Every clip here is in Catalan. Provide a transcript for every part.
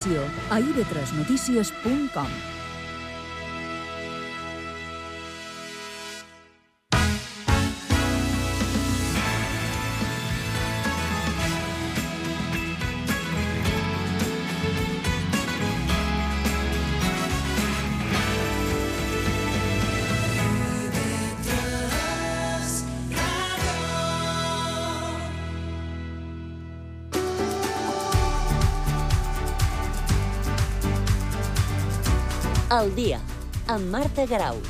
informació a ib3notícies.com. Al dia, amb Marta Garau.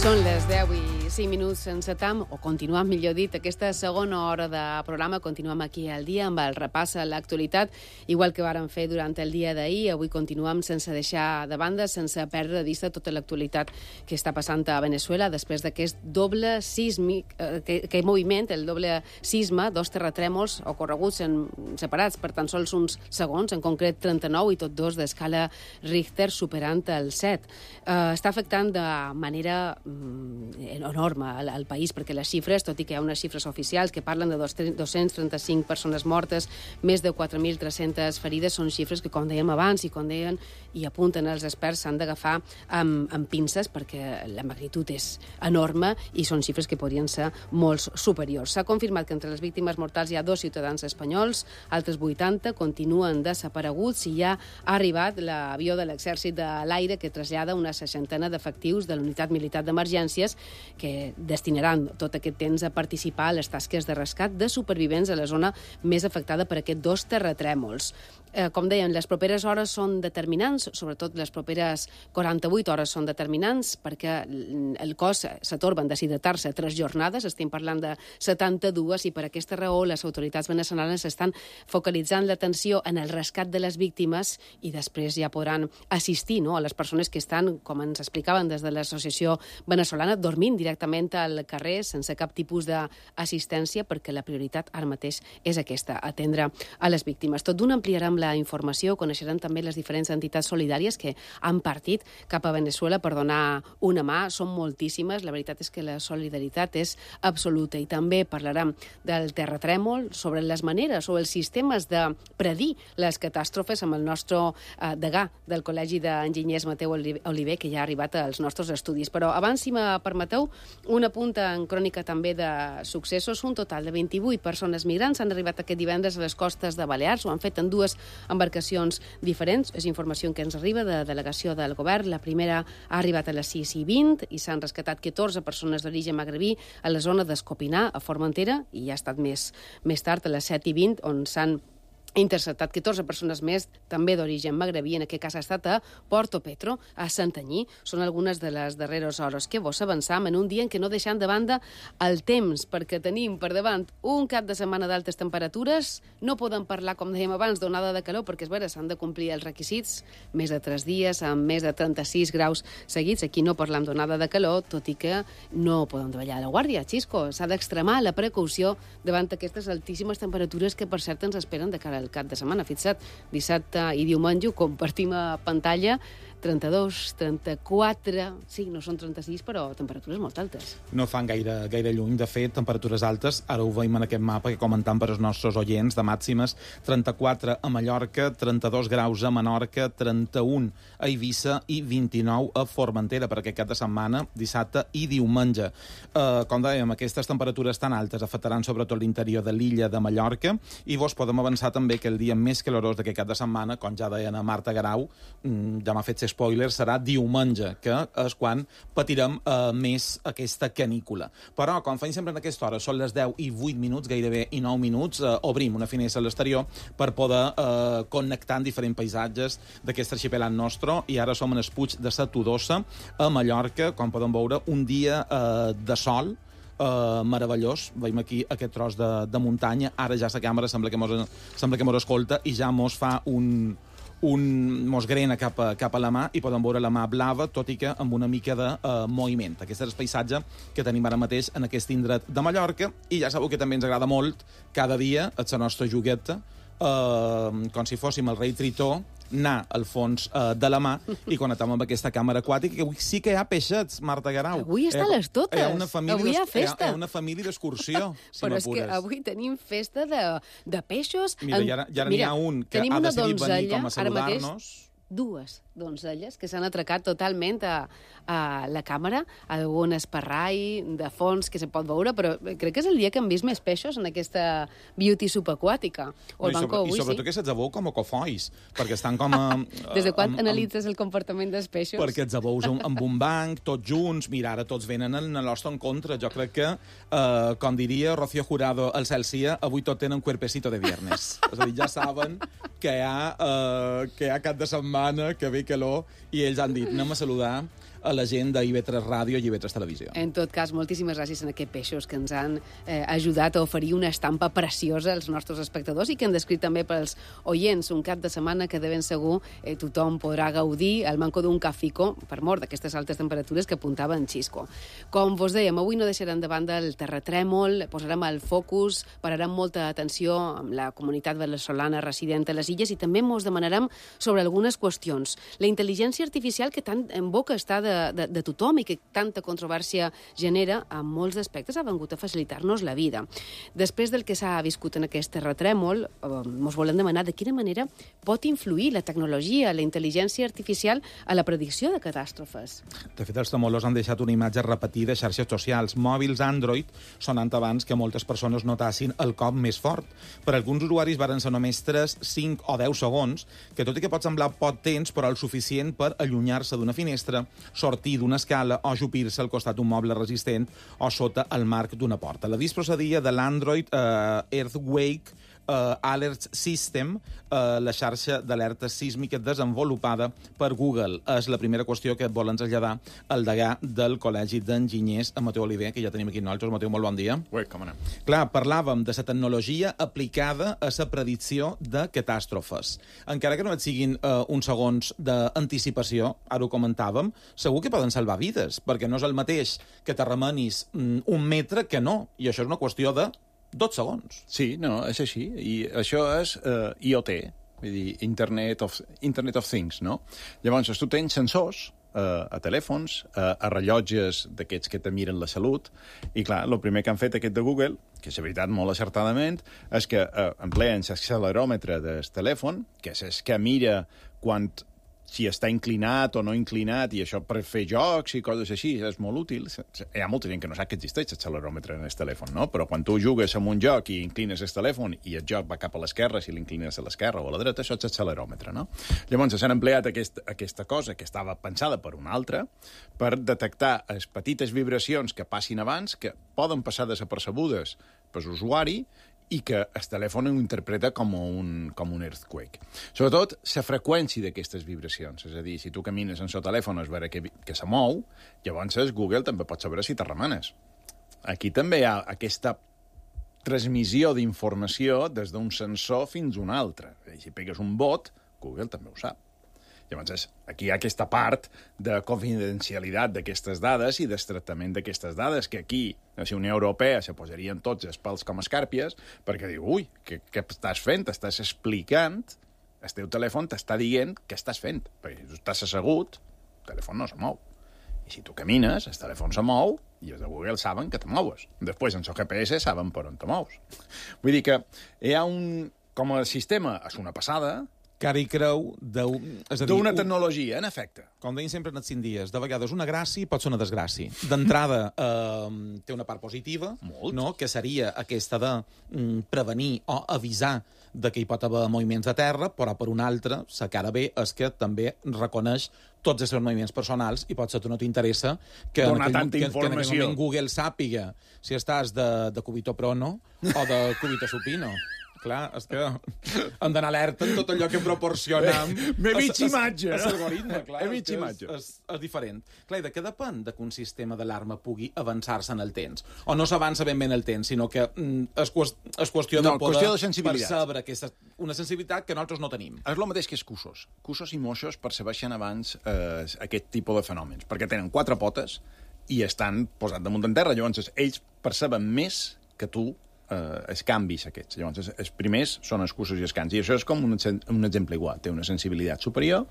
Són les 10 i 5 minuts sense tam, o continuem, millor dit, aquesta segona hora de programa. Continuem aquí al dia amb el repàs a l'actualitat, igual que vàrem fer durant el dia d'ahir. Avui continuem sense deixar de banda, sense perdre de vista tota l'actualitat que està passant a Venezuela després d'aquest doble sísmic, aquest moviment, el doble sisme, dos terratrèmols ocorreguts separats per tan sols uns segons, en concret 39 i tot dos d'escala Richter superant el 7. Està afectant de manera enorme al país, perquè les xifres, tot i que hi ha unes xifres oficials que parlen de 235 persones mortes, més de 4.300 ferides, són xifres que, com dèiem abans i com deien i apunten els experts, s'han d'agafar amb pinces perquè la magnitud és enorme i són xifres que podrien ser molt superiors. S'ha confirmat que entre les víctimes mortals hi ha 2 ciutadans espanyols, altres 80 continuen desapareguts i ja ha arribat l'avió de l'exèrcit de l'aire que trasllada una 60 d'efectius de l'unitat militar d'emergències que destinaran tot aquest temps a participar a les tasques de rescat de supervivents a la zona més afectada per aquests dos terratrèmols. Com deien, les properes hores són determinants, sobretot les properes 48 hores són determinants, perquè el cos s'atorba en deshidratar-se 3 jornades, estem parlant de 72, i per aquesta raó les autoritats venezolanes estan focalitzant l'atenció en el rescat de les víctimes i després ja podran assistir a les persones que estan, com ens explicaven des de l'associació venezolana, dormint directament al carrer sense cap tipus d'assistència, perquè la prioritat ara mateix és aquesta, atendre a les víctimes. Tot d'una ampliarem la informació, coneixeran també les diferents entitats solidàries que han partit cap a Venezuela per donar una mà. Són moltíssimes, la veritat és que la solidaritat és absoluta, i també parlarem del terratrèmol, sobre les maneres o els sistemes de predir les catàstrofes amb el nostre degà del Col·legi d'Enginyers, Mateu Oliver, que ja ha arribat als nostres estudis. Però abans, si me permeteu, una punta en crònica també de successos. Un total de 28 persones migrants han arribat aquest divendres a les costes de Balears. Ho han fet en 2 embarcacions diferents. És informació que ens arriba de delegació del govern. La primera ha arribat a les 6:20 i s'han rescatat 14 persones d'origen magrebí a la zona d'Escopinar, a Formentera, i ha estat més tard, a les 7:20, on s'han interceptat 14 persones més, també d'origen magrebí, en aquest cas ha estat a Porto Petro, a Santanyí. Són algunes de les darreres hores que vos avançam en un dia en què no deixant de banda el temps, perquè tenim per davant un cap de setmana d'altes temperatures. No podem parlar, com dèiem abans, d'onada de calor, perquè és vera, s'han de complir els requisits, més de 3 dies, amb més de 36 graus seguits. Aquí no parlam d'onada de calor, tot i que no podem davallar la guàrdia, Xisco. S'ha d'extremar la precaució davant aquestes altíssimes temperatures que, per cert, ens esperen de cara al cap de setmana. Fixa't, dissabte i diumenge ho compartim a pantalla, 32, 34, sí, no són 36, però temperatures molt altes. No fan gaire lluny, de fet, temperatures altes. Ara ho veiem en aquest mapa que comentam per als nostres oients, de màximes, 34 a Mallorca, 32 graus a Menorca, 31 a Eivissa i 29 a Formentera per aquest cap de setmana, dissabte i diumenge. Com dèiem, aquestes temperatures tan altes afectaran sobretot l'interior de l'illa de Mallorca, i vos podem avançar també que el dia més calorós d'aquest cap de setmana, com ja deien a Marta Garau, ja m'ha fet spoiler, serà diumenge, que és quan patirem més aquesta canícula. Però, com feim sempre en aquesta hora, són les 10 i 8 minuts, gairebé i 9 minuts, obrim una finestra a l'exterior per poder connectar en diferents paisatges d'aquest arxipelat nostre, i ara som en el Puig de sa Todosa, a Mallorca, com podem veure, un dia de sol, meravellós. Veiem aquí aquest tros de muntanya. Ara ja la càmera sembla que mos escolta i ja mos fa un mos grena cap a la mà i podem veure la mà blava, tot i que amb una mica de moviment. Aquest és el paisatge que tenim ara mateix en aquest indret de Mallorca, i ja sabeu que també ens agrada molt cada dia la nostra jugueta, com si fóssim el rei Tritó, anar al fons de la mà i connectar amb aquesta càmera aquàtica, que avui sí que hi ha peixets, Marta Guerau. Avui estan les totes. Avui hi ha festa. Hi ha una família d'excursió, si però m'apures. És que avui tenim festa de peixos. Mira, i ara n'hi ha un que ha decidit venir com a saludar-nos. Dues donzelles que s'han atracat totalment a la càmera, algun esparrai de fons que se pot veure, però crec que és el dia que hem vist més peixos en aquesta beauty subaquàtica. I sobretot que se'ls veu com a cofois, perquè estan com a... Des de quan analitzes el comportament dels peixos? Perquè els veus amb un banc, tots junts, mira, ara tots venen en el nostre encontre. Jo crec que, com diria Rocío Jurado al Celsia, avui tot tenen cuerpecito de viernes. És a dir, ja saben que hi ha cap de setmana, que ve calor, i ells han dit, anem a saludar a la gent d'IV3 Ràdio i IV3 Televisió. En tot cas, moltíssimes gràcies a aquests peixos que ens han ajudat a oferir una estampa preciosa als nostres espectadors i que han descrit també pels oients un cap de setmana que de ben segur tothom podrà gaudir al manco d'un cafico per mort d'aquestes altes temperatures que apuntava en Xisco. Com vos dèiem, avui no deixarem de banda el terratrèmol, posarem el focus, pararem molta atenció amb la comunitat veneçolana resident a les illes i també mos demanarem sobre algunes qüestions. La intel·ligència artificial que tant en boca està de tothom i que tanta controvèrsia genera, en molts aspectes ha vengut a facilitar-nos la vida. Després del que s'ha viscut en aquest terratrèmol, ens volem demanar de quina manera pot influir la tecnologia, la intel·ligència artificial a la predicció de catàstrofes. De fet, els tremolors han deixat una imatge repetida a xarxes socials. Mòbils Android sonant abans que moltes persones notassin el cop més fort. Per alguns usuaris varen ser només 3, 5 o 10 segons, que tot i que pot semblar poc temps, però el suficient per allunyar-se d'una finestra, sortir d'una escala o ajupir-se al costat d'un moble resistent o sota el marc d'una porta. L'avís procedia de l'Android Earthquake Alert System, la xarxa d'alerta sísmica desenvolupada per Google. És la primera qüestió que et volen traslladar el degà del Col·legi d'Enginyers, en Mateu Oliver, que ja tenim aquí nosaltres. Mateu, molt bon dia. Ui, com anem? Clar, parlàvem de la tecnologia aplicada a la predicció de catàstrofes. Encara que no et siguin uns segons d'anticipació, ara ho comentàvem, segur que poden salvar vides, perquè no és el mateix que t'arremenis un metre que no, i això és una qüestió de 2 segons. Sí, no, és així. I això és IoT, vull dir, Internet of Things, no? Llavors, tu tens sensors a telèfons, a rellotges d'aquests que te miren la salut, i clar, el primer que han fet aquest de Google, que és veritat molt acertadament, és que empleen l'acceleròmetre del telèfon, que és el que mira si està inclinat o no inclinat, i això per fer jocs i coses així, és molt útil. Hi ha molta gent que no sap que existeix l'accelerómetre en el telèfon, no? Però quan tu jugues en un joc i inclines el telèfon i el joc va cap a l'esquerra, si l'inclines a l'esquerra o a la dreta, això és l'accelerómetre, no? Llavors s'han empleat aquesta cosa que estava pensada per una altra per detectar les petites vibracions que passin abans, que poden passar desapercebudes per l'usuari, i que el telèfon ho interpreta com un earthquake. Sobretot, la freqüència d'aquestes vibracions. És a dir, si tu camines en el telèfon és veure que se mou, llavors Google també pot saber si te remenes. Aquí també hi ha aquesta transmissió d'informació des d'un sensor fins a un altre. Si pegues un bot, Google també ho sap. Llavors, aquí hi ha aquesta part de confidencialitat d'aquestes dades i del tractament d'aquestes dades, que aquí, a la Unió Europea, se posarien tots els pèls com escàrpies, perquè diu, ui, què estàs fent? Estàs explicant, el teu telèfon t'està dient què estàs fent. Perquè si tu estàs assegut, el telèfon no se mou. I si tu camines, el telèfon se mou, i els de Google saben que te moues. Després, en el GPS, saben per on te mous. Vull dir que hi ha com a sistema, és una passada, cara i creu d'una tecnologia, en efecte. Com deien sempre en els 5 dies, de vegades una gràcia pot ser una desgràcia. D'entrada, té una part positiva, no? Que seria aquesta de prevenir o avisar de que hi pot haver moviments de terra, però per una altra, la cara bé és que també reconeix tots els seus moviments personals i potser tu no t'interessa que en aquell moment Google sàpiga si estàs de cubito prono o de cubito supino. Clar, és que hem d'anar alerta en tot allò que proporcionem. M'he vist imatge, no? L'algoritme, clar. He vist imatge. És diferent. Clar, de què depèn de que un sistema d'alarma pugui avançar-se en el temps? O no s'avança ben bé en el temps, sinó que és qüestió de poder qüestió de sensibilitat. percebre aquesta, una sensibilitat que nosaltres no tenim. És el mateix que els cusos. Cusos i moixos percebeixen abans aquest tipus de fenòmens, perquè tenen 4 potes i estan posats damunt en terra. Llavors, ells perceben més que tu els canvis aquests. Llavors, els primers són els cursos i els cants. I això és com un exemple igual. Té una sensibilitat superior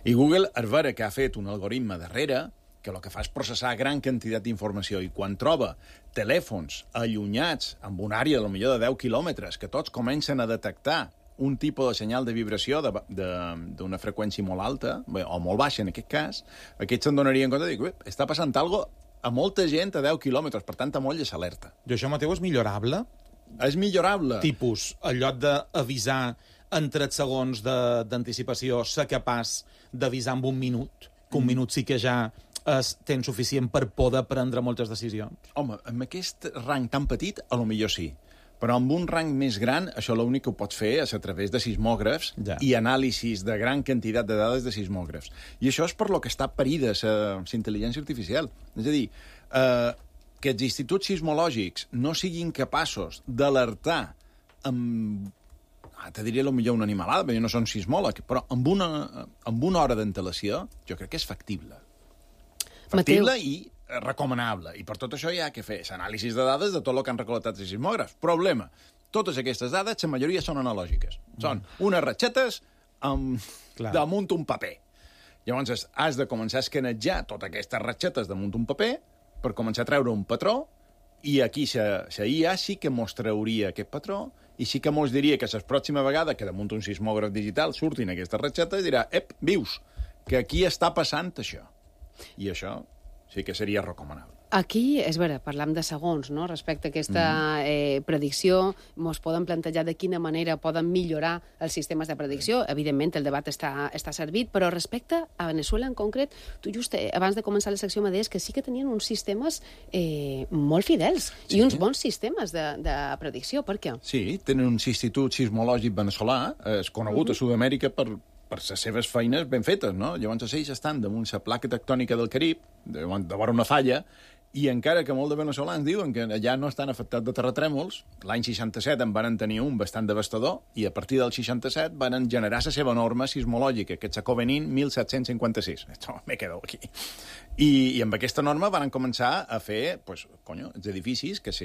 i Google, al veure que ha fet un algoritme darrere, que el que fa és processar gran quantitat d'informació i quan troba telèfons allunyats amb una àrea potser de 10 quilòmetres que tots comencen a detectar un tipus de senyal de vibració d'una freqüència molt alta, o molt baixa en aquest cas, aquests se'n donarien compte de dir, està passant alguna cosa a molta gent a 10 quilòmetres, per tant, a molt s'alerta. I això, Mateu, és millorable? És millorable. Tipus, en lloc d'avisar en 3 segons d'anticipació, ser capaç d'avisar en un minut, que un minut sí que ja és temps suficient per poder prendre moltes decisions? Home, amb aquest rang tan petit, a lo millor sí. Però amb un rang més gran, això l'únic que ho pots fer és a través de sismògrafs i anàlisis de gran quantitat de dades de sismògrafs. I això és per lo que està parida la intel·ligència artificial. És a dir, que els instituts sismològics no siguin capaços d'alertar amb... te diria potser una animalada, perquè no són sismòleg, però amb una hora d'antelació, jo crec que és factible. Factible i recomanable. I per tot això hi ha que fer anàlisis de dades de tot el que han recol·lectat els sismògrafs. Problema, totes aquestes dades, la majoria són analògiques. Són unes ratxetes damunt un paper. Llavors has de començar a escanejar totes aquestes ratxetes damunt un paper per començar a treure un patró i aquí la IA sí que mos trauria aquest patró i sí que mos diria que la pròxima vegada que damunt un sismògraf digital surtin aquestes ratxetes dirà, vius, que aquí està passant això. I això sí que seria recomanable. Aquí, és vera, parlam de segons, no?, respecte a aquesta predicció. Mos poden plantejar de quina manera poden millorar els sistemes de predicció. Evidentment, el debat està servit, però respecte a Venezuela en concret, tu just abans de començar la secció me deies que sí que tenien uns sistemes molt fidels i uns bons sistemes de predicció. Per què? Sí, tenen un institut sismològic veneçolà, és conegut a Sud-amèrica per les seves feines ben fetes, no? Llavors, ells estan damunt la placa tectònica del Carib, de vora una falla, i encara que molts de veneçolans diuen que allà no estan afectats de terratrèmols, l'any 67 en van tenir un bastant devastador, i a partir del 67 van generar la seva norma sismològica, que és la Covenin 1756. Esto me quedo aquí. I amb aquesta norma van començar a fer, els edificis que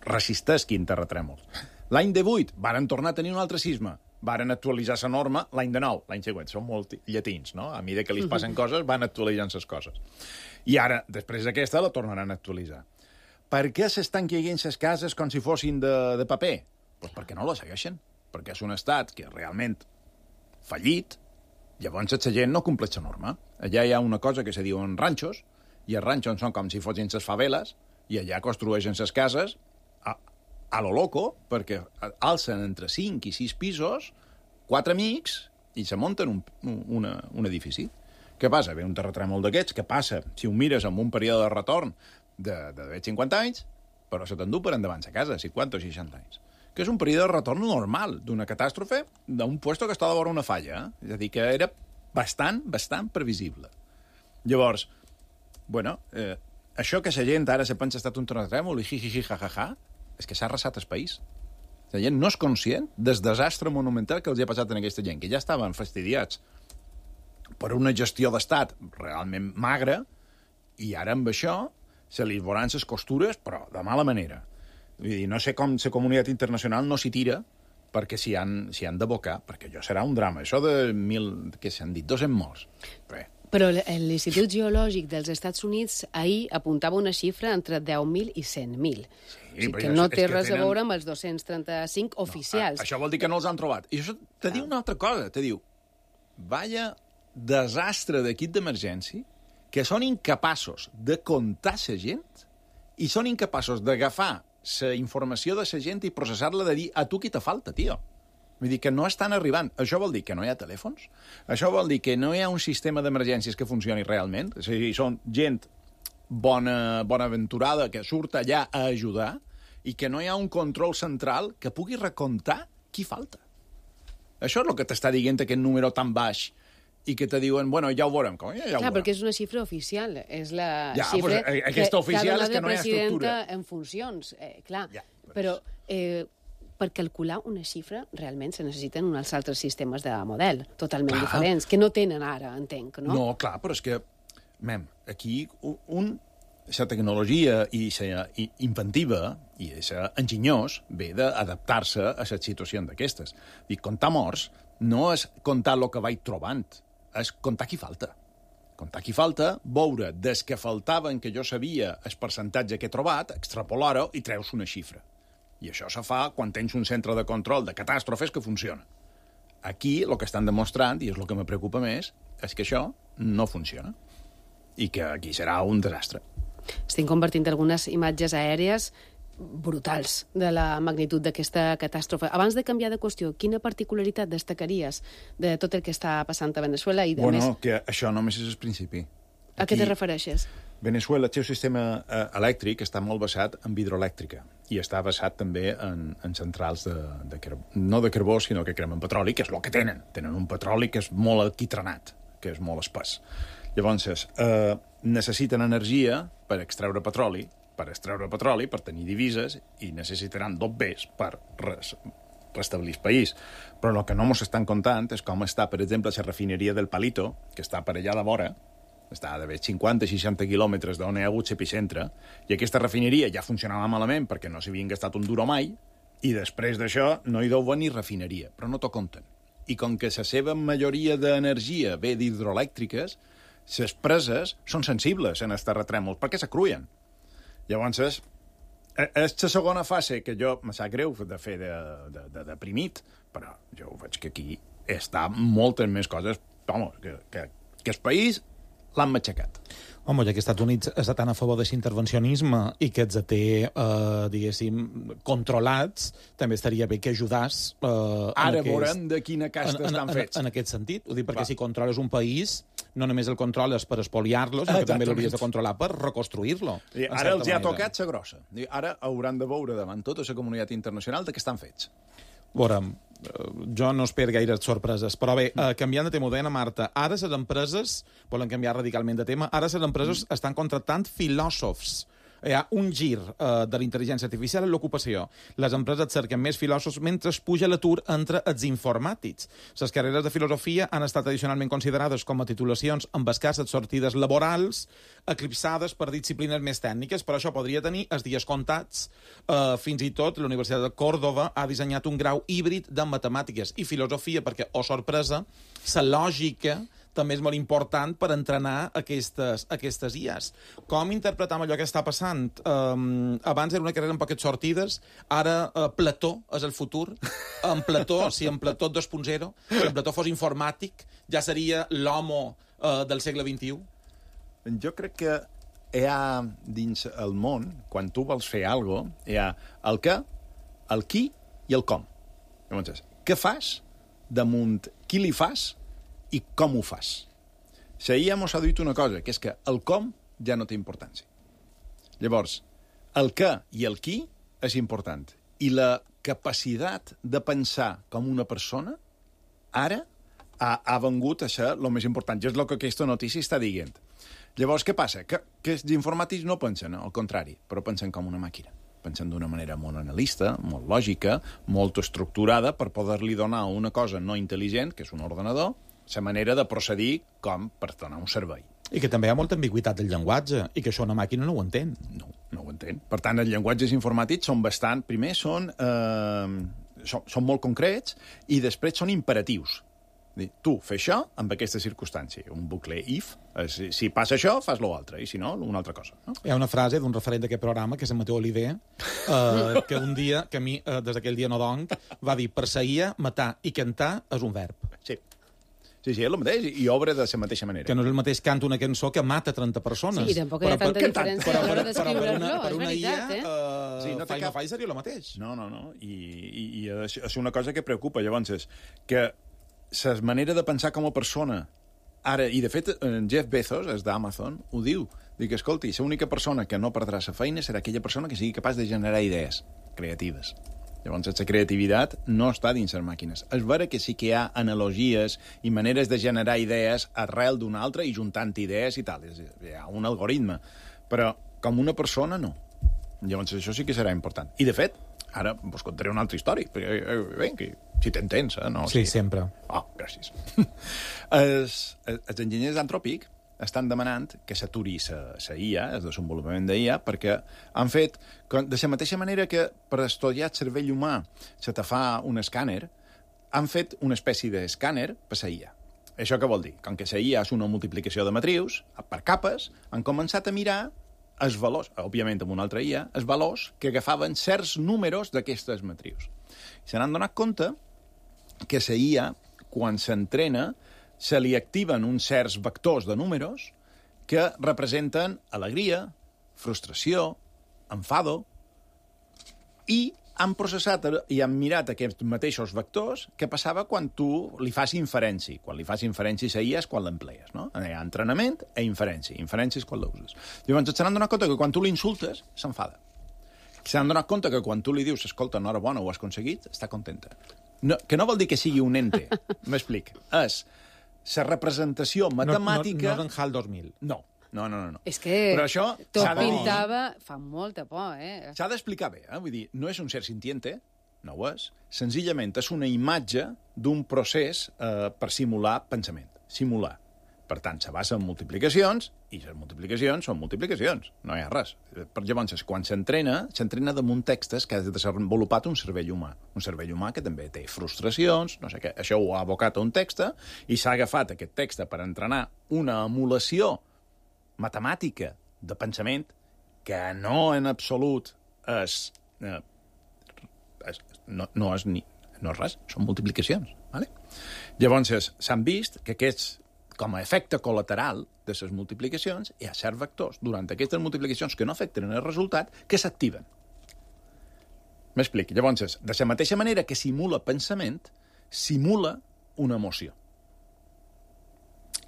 resistesquin terratrèmols. L'any 18 van tornar a tenir un altre sisme, varen actualitzar la norma l'any de nou, l'any següent. Són molt llatins, no? A mesura que li passen coses, van actualitzant les coses. I ara, després d'aquesta, la tornaran a actualitzar. Per què s'estan caient les cases com si fossin de paper? Doncs perquè no la segueixen. Perquè és un estat que realment fallit, llavors la gent no compleix la norma. Allà hi ha una cosa que se diuen ranxos, i els ranxos són com si fossin les faveles, i allà construeixen les cases a lo loco, perquè alcen entre 5 i 6 pisos, 4 amics, i se munten un edifici. Què passa? Ve un terratrèmol d'aquests, que passa, si ho mires amb un període de retorn de 50 anys, però se t'endú per endavant a casa, 50 o 60 anys. Que és un període de retorn normal d'una catàstrofe d'un puesto que estava a vora una falla. És a dir, que era bastant previsible. Llavors, això que la gent ara se pensa que ha estat un terratrèmol i jijiji, jajaja, és que s'ha arrasat el país. La gent no és conscient del desastre monumental que els ha passat a aquesta gent, que ja estaven fastidiats per una gestió d'estat realment magra, i ara amb això se li veuran les costures, però de mala manera. Vull dir, no sé com la comunitat internacional no s'hi tira perquè s'hi han d'abocar, perquè això serà un drama. Això de 1.000, què s'han dit, 200 morts. Però l'Institut Geològic dels Estats Units ahir apuntava una xifra entre 10.000 i 100.000. Sí, que no té res a veure amb els 235 oficials. Això vol dir que no els han trobat. I això te diu una altra cosa. Te diu, vaya desastre d'equip d'emergència, que són incapaços de comptar la gent i són incapaços d'agafar la informació de la gent i processar-la, de dir, a tu qui te falta, tio. Vull dir que no estan arribant. Això vol dir que no hi ha telèfons? Això vol dir que no hi ha un sistema d'emergències que funcioni realment? És a dir, són gent bonaventurada que surt allà a ajudar i que no hi ha un control central que pugui recomptar qui falta. Això és el que t'està dient aquest número tan baix i que te diuen, bueno, ja ho veurem. Com, ja ho Clar, veurem. perquè és una xifra oficial. És la Ja, xifra pues, aquesta oficial és que no hi ha presidenta estructura. en funcions. Clar, Ja, però per calcular una xifra realment se necessiten uns altres sistemes de model totalment diferents, que no tenen ara, entenc, no? No, clar, però és que, aquí la tecnologia i la inventiva i la enginyós ve d'adaptar-se a les situacions d'aquestes. I comptar morts no és comptar el que vaig trobant, és comptar qui falta. Comptar qui falta, veure des que faltaven que jo sabia el percentatge que he trobat, extrapolar-ho i treus una xifra. I això se fa quan tens un centre de control de catàstrofes que funciona. Aquí el que estan demostrant, i és el que me preocupa més, és que això no funciona. I que aquí serà un desastre. Estem convertint algunes imatges aèries brutals de la magnitud d'aquesta catàstrofe. Abans de canviar de qüestió, quina particularitat destacaries de tot el que està passant a Veneçuela? I de més, Que això només és el principi. a què te refereixes? Veneçuela, el seu sistema elèctric està molt basat en hidroelèctrica i està basat també en centrals no de carbó, sinó que cremen petroli, que és el que tenen. Tenen un petroli que és molt alquitranat, que és molt espès. Llavors, necessiten energia per extreure petroli, per tenir divises, i necessitaran dos bés per restablir el país. Però el que no ens estan contant és com està, per exemple, la refineria del Palito, que està per allà de vora, està d'haver 50-60 quilòmetres d'on hi ha hagut l'epicentre, i aquesta refineria ja funcionava malament perquè no s'havien gastat un duro mai, i després d'això no hi deu venir refineria, però no t'ho compten. I com que la seva majoria d'energia ve d'hidroelèctriques, les preses són sensibles en els terratrèmols perquè s'acruïen. Llavors, és la segona fase que jo me sap greu de fer de deprimit, però jo veig que aquí està moltes més coses, que el país l'han matxacat. Home, ja que els Estats Units està tan a favor de l'intervencionisme i que els té, diguéssim, controlats, també estaria bé que ajudàs... Ara veurem de quina casta estan fets. En aquest sentit, ho dic perquè si controles un país, no només el controles per espoliar-lo, sinó que també l'hauries de controlar per reconstruir-lo. Ara els ha tocat la grossa. Ara hauran de veure davant tota la comunitat internacional de què estan fets. Veurem, jo no espero gaire sorpreses, però bé, canviant de tema, ho deia Marta, ara les empreses volen canviar radicalment de tema, ara les empreses estan contractant filòsofs. Hi ha un gir de la intel·ligència artificial en l'ocupació. Les empreses cerquen més filòsofs mentre es puja l'atur entre els informàtics. Les carreres de filosofia han estat tradicionalment considerades com a titulacions amb escasses sortides laborals, eclipsades per disciplines més tècniques, però això podria tenir els dies comptats. Fins i tot la Universitat de Còrdova ha dissenyat un grau híbrid de matemàtiques i filosofia perquè, oh sorpresa, la lògica també és molt important per entrenar aquestes IAs. Com interpretam allò que està passant? Abans era una carrera amb poques sortides, ara Plató és el futur. En Plató, si en Plató 2.0, si en Plató fos informàtic, ja seria l'homo del segle XXI. Jo crec que hi ha dins el món, quan tu vols fer alguna cosa, hi ha el què, el qui i el com. Llavors, què fas damunt qui li fas i com ho fas. La IA mos ha dit una cosa, que és que el com ja no té importància. Llavors, el què i el qui és important. I la capacitat de pensar com una persona ara ha vengut a ser el més important. I és el que aquesta notícia està dient. Llavors, què passa? Que els informàtics no pensen, al contrari, però pensen com una màquina. Pensen d'una manera molt analista, molt lògica, molt estructurada per poder-li donar a una cosa no intel·ligent, que és un ordenador, la manera de procedir com per donar un servei. I que també hi ha molta ambigüitat del llenguatge, i que això una màquina no ho entén. No ho entén. Per tant, els llenguatges informàtics són bastant... Primer, són molt concrets i després són imperatius. Tu, fes això amb aquesta circumstància. Un bucle if. Si passa això, fas l'altre, i si no, una altra cosa. No? Hi ha una frase d'un referent d'aquest programa, que és en Mateu Oliver, que un dia, que a mi, des d'aquell dia no donc, va dir, perseguir, matar i cantar és un verb. Sí, és el mateix, i obre de la mateixa manera. Que no és el mateix canta una cançó que mata 30 persones. Sí, tampoc hi ha tanta diferència a l'hora d'escriure-lo, és veritat, no fa seria el mateix. No, i és una cosa que preocupa, llavors, és que la manera de pensar com a persona Ara, i de fet, Jeff Bezos, és d'Amazon, ho diu. Dic, escolti, l'única persona que no perdrà la feina serà aquella persona que sigui capaç de generar idees creatives. Llavors, la creativitat no està dins les màquines. És vera que sí que hi ha analogies i maneres de generar idees arrel d'una altra i juntant idees i tal. Hi ha un algoritme. Però com una persona, no. Llavors, això sí que serà important. I, de fet, ara vos contaré una altra història. Vinga, si t'entens, no? Sí, sempre. Oh, gràcies. Els enginyers d'Anthropic estan demanant que s'aturi la IA, el desenvolupament d'IA, perquè han fet, de la mateixa manera que per estudiar el cervell humà se te fa un escàner, han fet una espècie d'escàner per la IA. Això què vol dir? Com que la IA és una multiplicació de matrius, per capes, han començat a mirar els valors, òbviament amb una altra IA, els valors que agafaven certs números d'aquestes matrius. I se n'han donat compte que la IA, quan s'entrena, se li activen uns certs vectors de números que representen alegria, frustració, enfado, i han processat i han mirat aquests mateixos vectors que passava quan tu li fas inferència. Quan li fas inferència a IA és quan l'emplees, no? Hi ha entrenament i inferència. Inferència és quan l'uses. Llavors, se n'han donat compte que quan tu l'insultes, s'enfada. Se n'han donat compte que quan tu li dius, escolta, enhorabona, ho has aconseguit, està contenta. No, que no vol dir que sigui un ente, m'explic. És la representació matemàtica... No és en HAL 2000. No. És que però això tot pintava... Fa molta por, S'ha d'explicar bé, Vull dir, no és un ser sintiente, no ho és. Senzillament és una imatge d'un procés per simular pensament. Simular. Per tant, se basa en multiplicacions, i les multiplicacions són multiplicacions. No hi ha res. Llavors, quan s'entrena damunt textos que ha desenvolupat un cervell humà. Un cervell humà que també té frustracions, no sé què. Això ho ha abocat a un text i s'ha agafat aquest text per entrenar una emulació matemàtica de pensament que no en absolut és... no és res, són multiplicacions. Vale? Llavors, s'han vist que aquests, com a efecte col·lateral de les multiplicacions, hi ha certs vectors durant aquestes multiplicacions que no afecten el resultat que s'activen. M'explico. Llavors, de la mateixa manera que simula pensament, simula una emoció.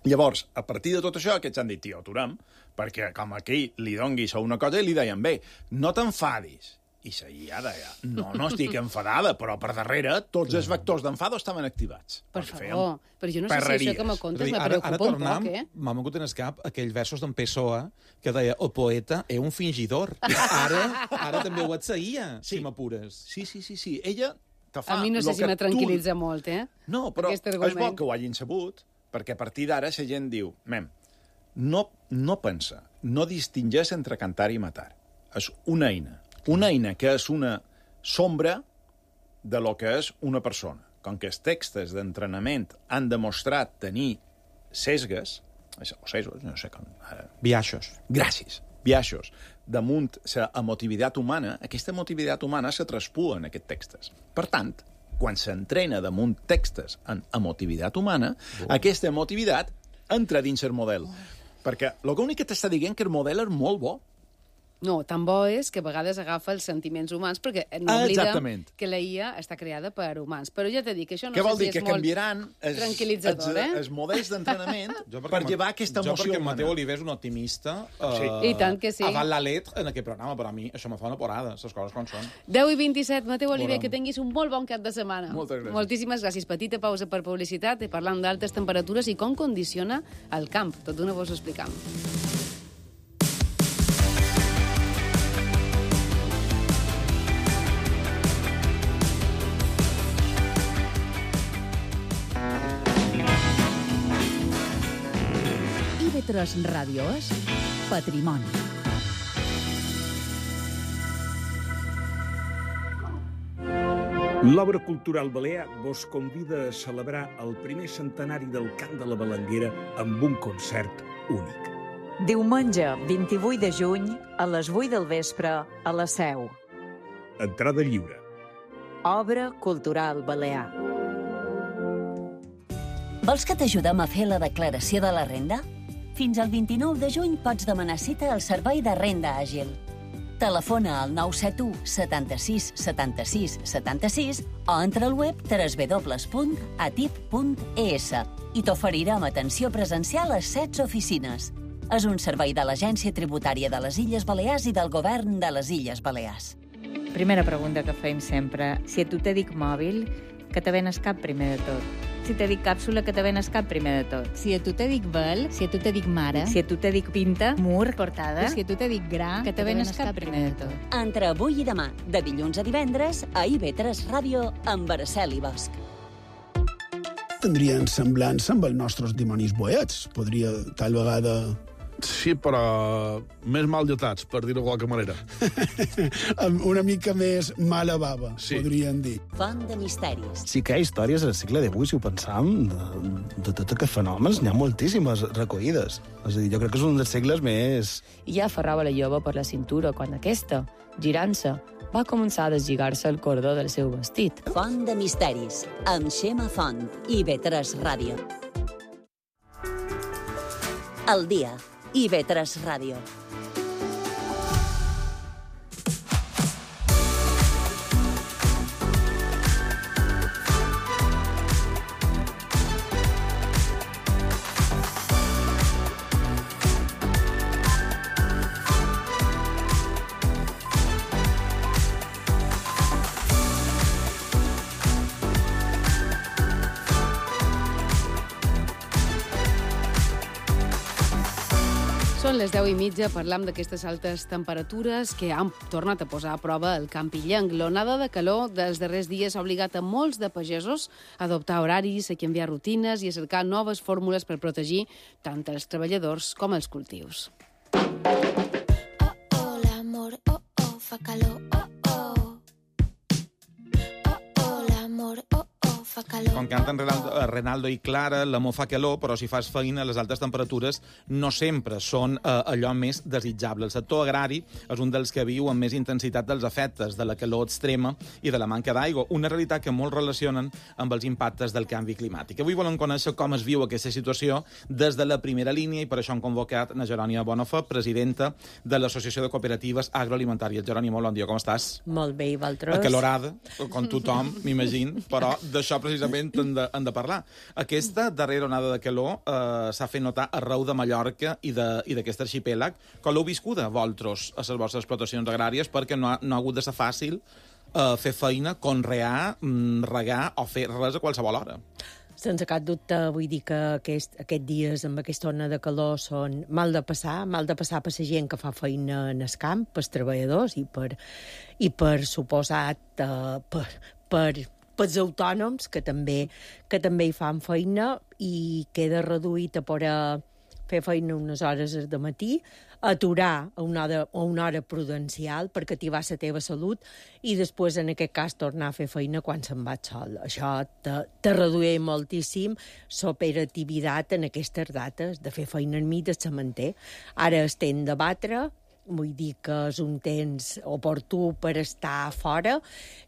Llavors, a partir de tot això, aquests han dit, tio, aturem, perquè com aquí li donguis a una cosa i li deien, bé, no t'enfadis. I la IA deia, no estic enfadada, però per darrere tots els vectors d'enfado estaven activats. Per favor, però jo no sé si això que me contes me preocupa un poc, M'ha vingut en el cap aquells versos d'en Pessoa que deia, el poeta és un fingidor. Ara també ho et seguia, si m'apures. Sí. Ella te fa... A mi no sé si me tranquil·litza molt, No, però és bo que ho hagin sabut, perquè a partir d'ara la gent diu, no pensa, no distingeix entre cantar i matar. És una eina. Una eina que és una sombra de lo que és una persona. Com que els textos d'entrenament han demostrat tenir sesgues, no sé com... Biaixos. Gràcies. Biaixos. Damunt la emotivitat humana, aquesta emotivitat humana se traspua en aquests textos. Per tant, quan s'entrena damunt textos en emotivitat humana, aquesta emotivitat entra dins el model. Perquè l'únic que t'està dient que el model és molt bo. No, tan bo és que a vegades agafa els sentiments humans, perquè no oblidem que la IA està creada per humans. Però ja t'he dit que això no sé si és molt tranquil·litzador, els models d'entrenament per llevar aquesta emoció humana. Jo perquè Mateu Oliver és un optimista I tant que sí. avant la letra en aquest programa, però a mi això me fa una porada, les coses com són. 10:27, Mateu Oliver, que tinguis un molt bon cap de setmana. Moltes gràcies. Moltíssimes gràcies. Petita pausa per publicitat i parlant d'altes temperatures i com condiciona el camp. Tot d'una vos ho explicam. IB3 Ràdio és Patrimoni. L'Obra Cultural Balear vos convida a celebrar el primer centenari del Cant de la Balenguera amb un concert únic. Diumenge, 28 de juny, a les 8 del vespre, a la Seu. Entrada lliure. Obra Cultural Balear. Vols que t'ajudem a fer la declaració de la renda? Fins al 29 de juny pots demanar cita al Servei de Renda Àgil. Telefona al 971 76 76 76 o entra al web www.atip.es i t'oferirem atenció presencial a 16 oficines. És un servei de l'Agència Tributària de les Illes Balears i del Govern de les Illes Balears. Primera pregunta que fem sempre. Si a tu te dic mòbil, que te ven al cap primer de tot? Si te dic càpsula, que te ven al cap primer de tot? Si a tu te dic vel, si a tu te dic mare, Si a tu te dic pinta, mur, portada, si a tu te dic gra, que te ven al cap primer de tot? Entre avui i demà, de dilluns a divendres, a IB3 Ràdio, amb Araceli Bosch. Tindrien semblança amb els nostres dimonis boets. Podria, tal vegada... Sí, però més mal dotats, per dir-ho de qualque manera. Amb una mica més mala bava, sí. Podrien dir. Font de misteris. Sí que hi ha històries al segle XVIII, si ho pensam, de tots aquests fenòmens. N'hi ha moltíssimes recollides. És a dir, jo crec que és un dels segles més... I ja aferrava la jove per la cintura quan aquesta, girant-se, va començar a deslligar-se el cordó del seu vestit. Font de misteris, amb Xema Font i IB3 Ràdio. El dia, IB3 Ràdio. Són les 10:30, parlam d'aquestes altes temperatures que han tornat a posar a prova el camp illenc. L'onada de calor dels darrers dies ha obligat a molts de pagesos a adoptar horaris, a canviar rutines i a cercar noves fórmules per protegir tant els treballadors com els cultius. Oh, l'amor, fa calor, l'amor, fa calor. Com canten Renaldo i Clara, l'amor fa calor, però si fas feina, les altes temperatures no sempre són allò més desitjable. El sector agrari és un dels que viu amb més intensitat dels efectes de la calor extrema i de la manca d'aigua, una realitat que molts relacionen amb els impactes del canvi climàtic. Avui volem conèixer com es viu aquesta situació des de la primera línia i per això hem convocat a Jerònima Bonafé, presidenta de l'Associació de Cooperatives Agroalimentàries. Jerònima, bon dia, com estàs? Molt bé, i vosaltres? Acalorada, com tothom, m'imagino, però d'això precisament hem de parlar. Aquesta darrera onada de calor s'ha fet notar arreu de Mallorca i d'aquest arxipèlag. Com l'heu viscuda, vosaltres, a les vostres explotacions agràries, perquè no ha hagut de ser fàcil fer feina, conrear, regar o fer res a qualsevol hora. Sense cap dubte, vull dir que aquests dies amb aquesta ona de calor són mal de passar per la gent que fa feina en el camp, pels treballadors i per suposat pels autònoms que també hi fan feina i queda reduït a poder fer feina unes hores de matí, aturar a una hora prudencial per activar la teva salut i després, en aquest cas, tornar a fer feina quan se'n va sol. Això te redueix moltíssim l'operativitat en aquestes dates de fer feina enmig del sementer. Ara estem de batre, vull dir que és un temps oportú per estar fora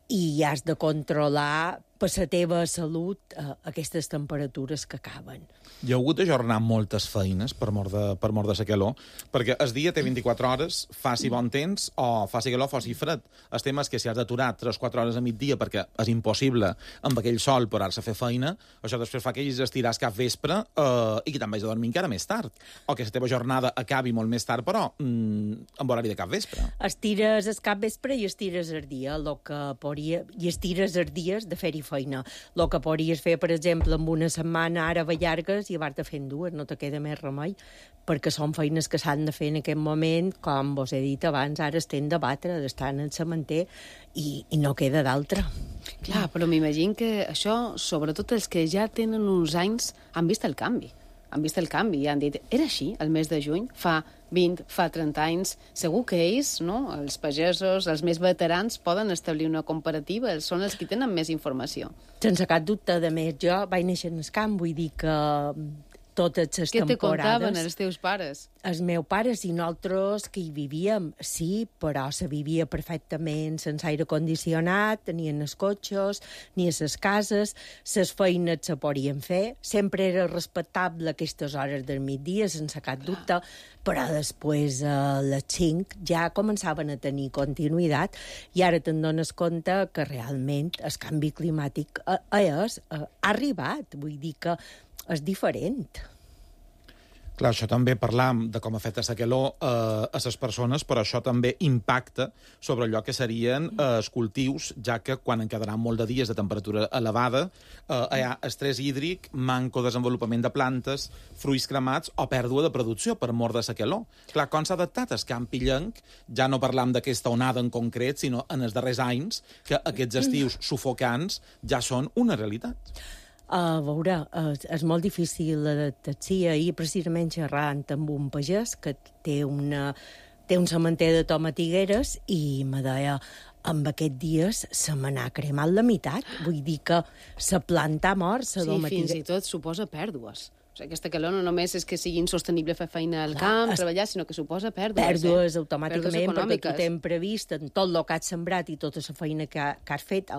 i has de controlar per la teva salut aquestes temperatures que acaben. Hi ha hagut d'ajornar moltes feines per mort de la calor, perquè el dia té 24 hores, faci bon temps o faci calor, faci fred. El tema és que si has d'aturar 3-4 hores a migdia perquè és impossible amb aquell sol parar-se a fer feina, això després fa que hagis d'estirar cap vespre i que te'n vagis a dormir encara més tard. O que la teva jornada acabi molt més tard, però amb horari de cap vespre. Estires el cap vespre i estires el dia, i estires els dies de fer-hi feina. El que podries fer, per exemple, amb una setmana ara llargues i vas-te fent dues, no te queda més remei, perquè són feines que s'han de fer en aquest moment, com vos he dit abans, ara estem de batre, d'estar en el sementer i no queda d'altra. Clar, però m'imagino que això, sobretot els que ja tenen uns anys, han vist el canvi. I han dit, era així el mes de juny, fa 20, fa 30 anys, segur que ells, no, els pagesos, els més veterans, poden establir una comparativa, són els que tenen més informació. Sense cap dubte, de més, jo vaig néixer en el camp, vull dir que totes les temporades. Què te contaven els teus pares? Els meus pares i nosaltres que hi vivíem, sí, però se vivia perfectament sense aire condicionat, ni en els cotxes, ni a les cases, les feines se podien fer, sempre era respectable aquestes hores del migdia, sense cap dubte, però després a les 5 ja començaven a tenir continuïtat i ara te'n dones compte que realment el canvi climàtic ha arribat, vull dir que és diferent. Clar, això també parlam de com afecta la calor a les persones, però això també impacta sobre allò que serien els cultius, ja que quan en quedaran molt de dies de temperatura elevada, hi ha estrès hídric, manco desenvolupament de plantes, fruits cremats o pèrdua de producció per mort de la calor. Clar, com s'ha adaptat el camp illenc, ja no parlam d'aquesta onada en concret, sinó en els darrers anys, que aquests estius sufocants ja són una realitat. A veure, és molt difícil l'adaptació. Ahir, precisament, xerrant amb un pagès que té un sementer de tomatigueres i me deia, amb aquests dies se me n'ha cremat la meitat. Vull dir que la planta mort, la tomatiguera... Sí, fins i tot suposa pèrdues. O sigui, aquesta calor no només és que sigui insostenible fer feina al camp, treballar, sinó que suposa pèrdues. Pèrdues automàticament, perquè tu tens previst en tot el que has sembrat i tota la feina que has fet,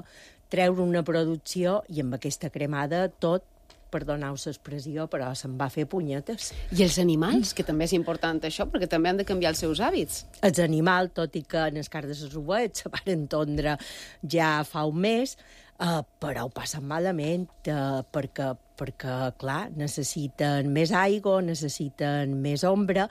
treure una producció i amb aquesta cremada tot, perdoneu l'expressió, però se'n va fer punyetes. I els animals, que també és important això, perquè també han de canviar els seus hàbits. Els animals, tot i que en el cas de les ovets se van entendre ja fa un mes, però ho passen malament, perquè, clar, necessiten més aigua, necessiten més ombra,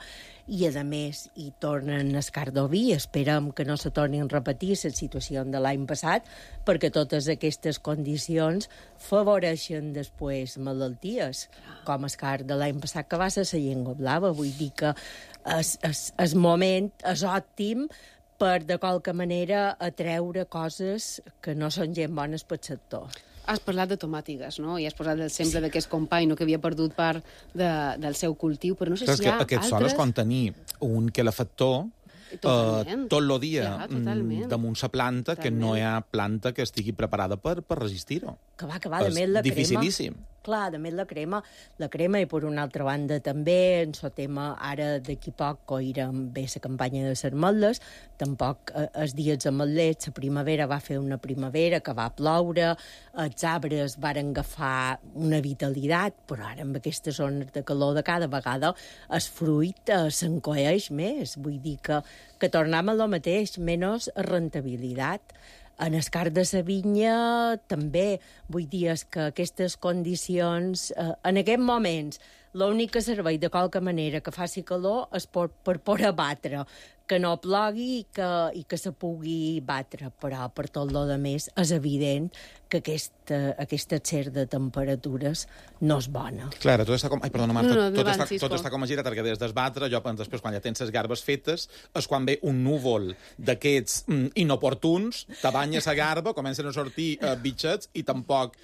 i, a més, hi tornen el cardoví. Esperem que no se tornin a repetir la situació de l'any passat, perquè totes aquestes condicions favoreixen després malalties, com el car de l'any passat, que va ser la llengua blava. Vull dir que el moment és òptim per, de qualque manera, atreure coses que no són gent bones pel sector. Has parlat de tomàtigues, no? I has posat l'exemple d'aquest company que havia perdut part del seu cultiu, però no sé si hi ha aquest sol és quan tenir un calefactor tot el dia damunt la planta, que no hi ha planta que estigui preparada per resistir-ho. Que va, de més la crema. Dificilíssim. Clar, de més la crema, i per una altra banda també, en el tema, ara d'aquí poc coirem bé la campanya de les ametlles, tampoc els dies ametlers, la primavera va fer una primavera que va ploure, els arbres varen agafar una vitalitat, però ara amb aquestes zones de calor de cada vegada el fruit s'encoeix més, vull dir que tornem a lo mateix, menys rentabilitat. En el cas de la vinya, també, vull dir que aquestes condicions, en aquests moments, l'únic que serveix de qualque manera que faci calor és per poder batre, que no plogui i que se pugui batre, però per tot lo de més és evident que aquest excés de temperatures no és bona. Clar, tot està com... Ai, perdona, Marta, tot està com a girat, perquè des d'esbatre, després, quan ja tens les garbes fetes, és quan ve un núvol d'aquests inoportuns, te banya la garba, comencen a sortir bitxets i tampoc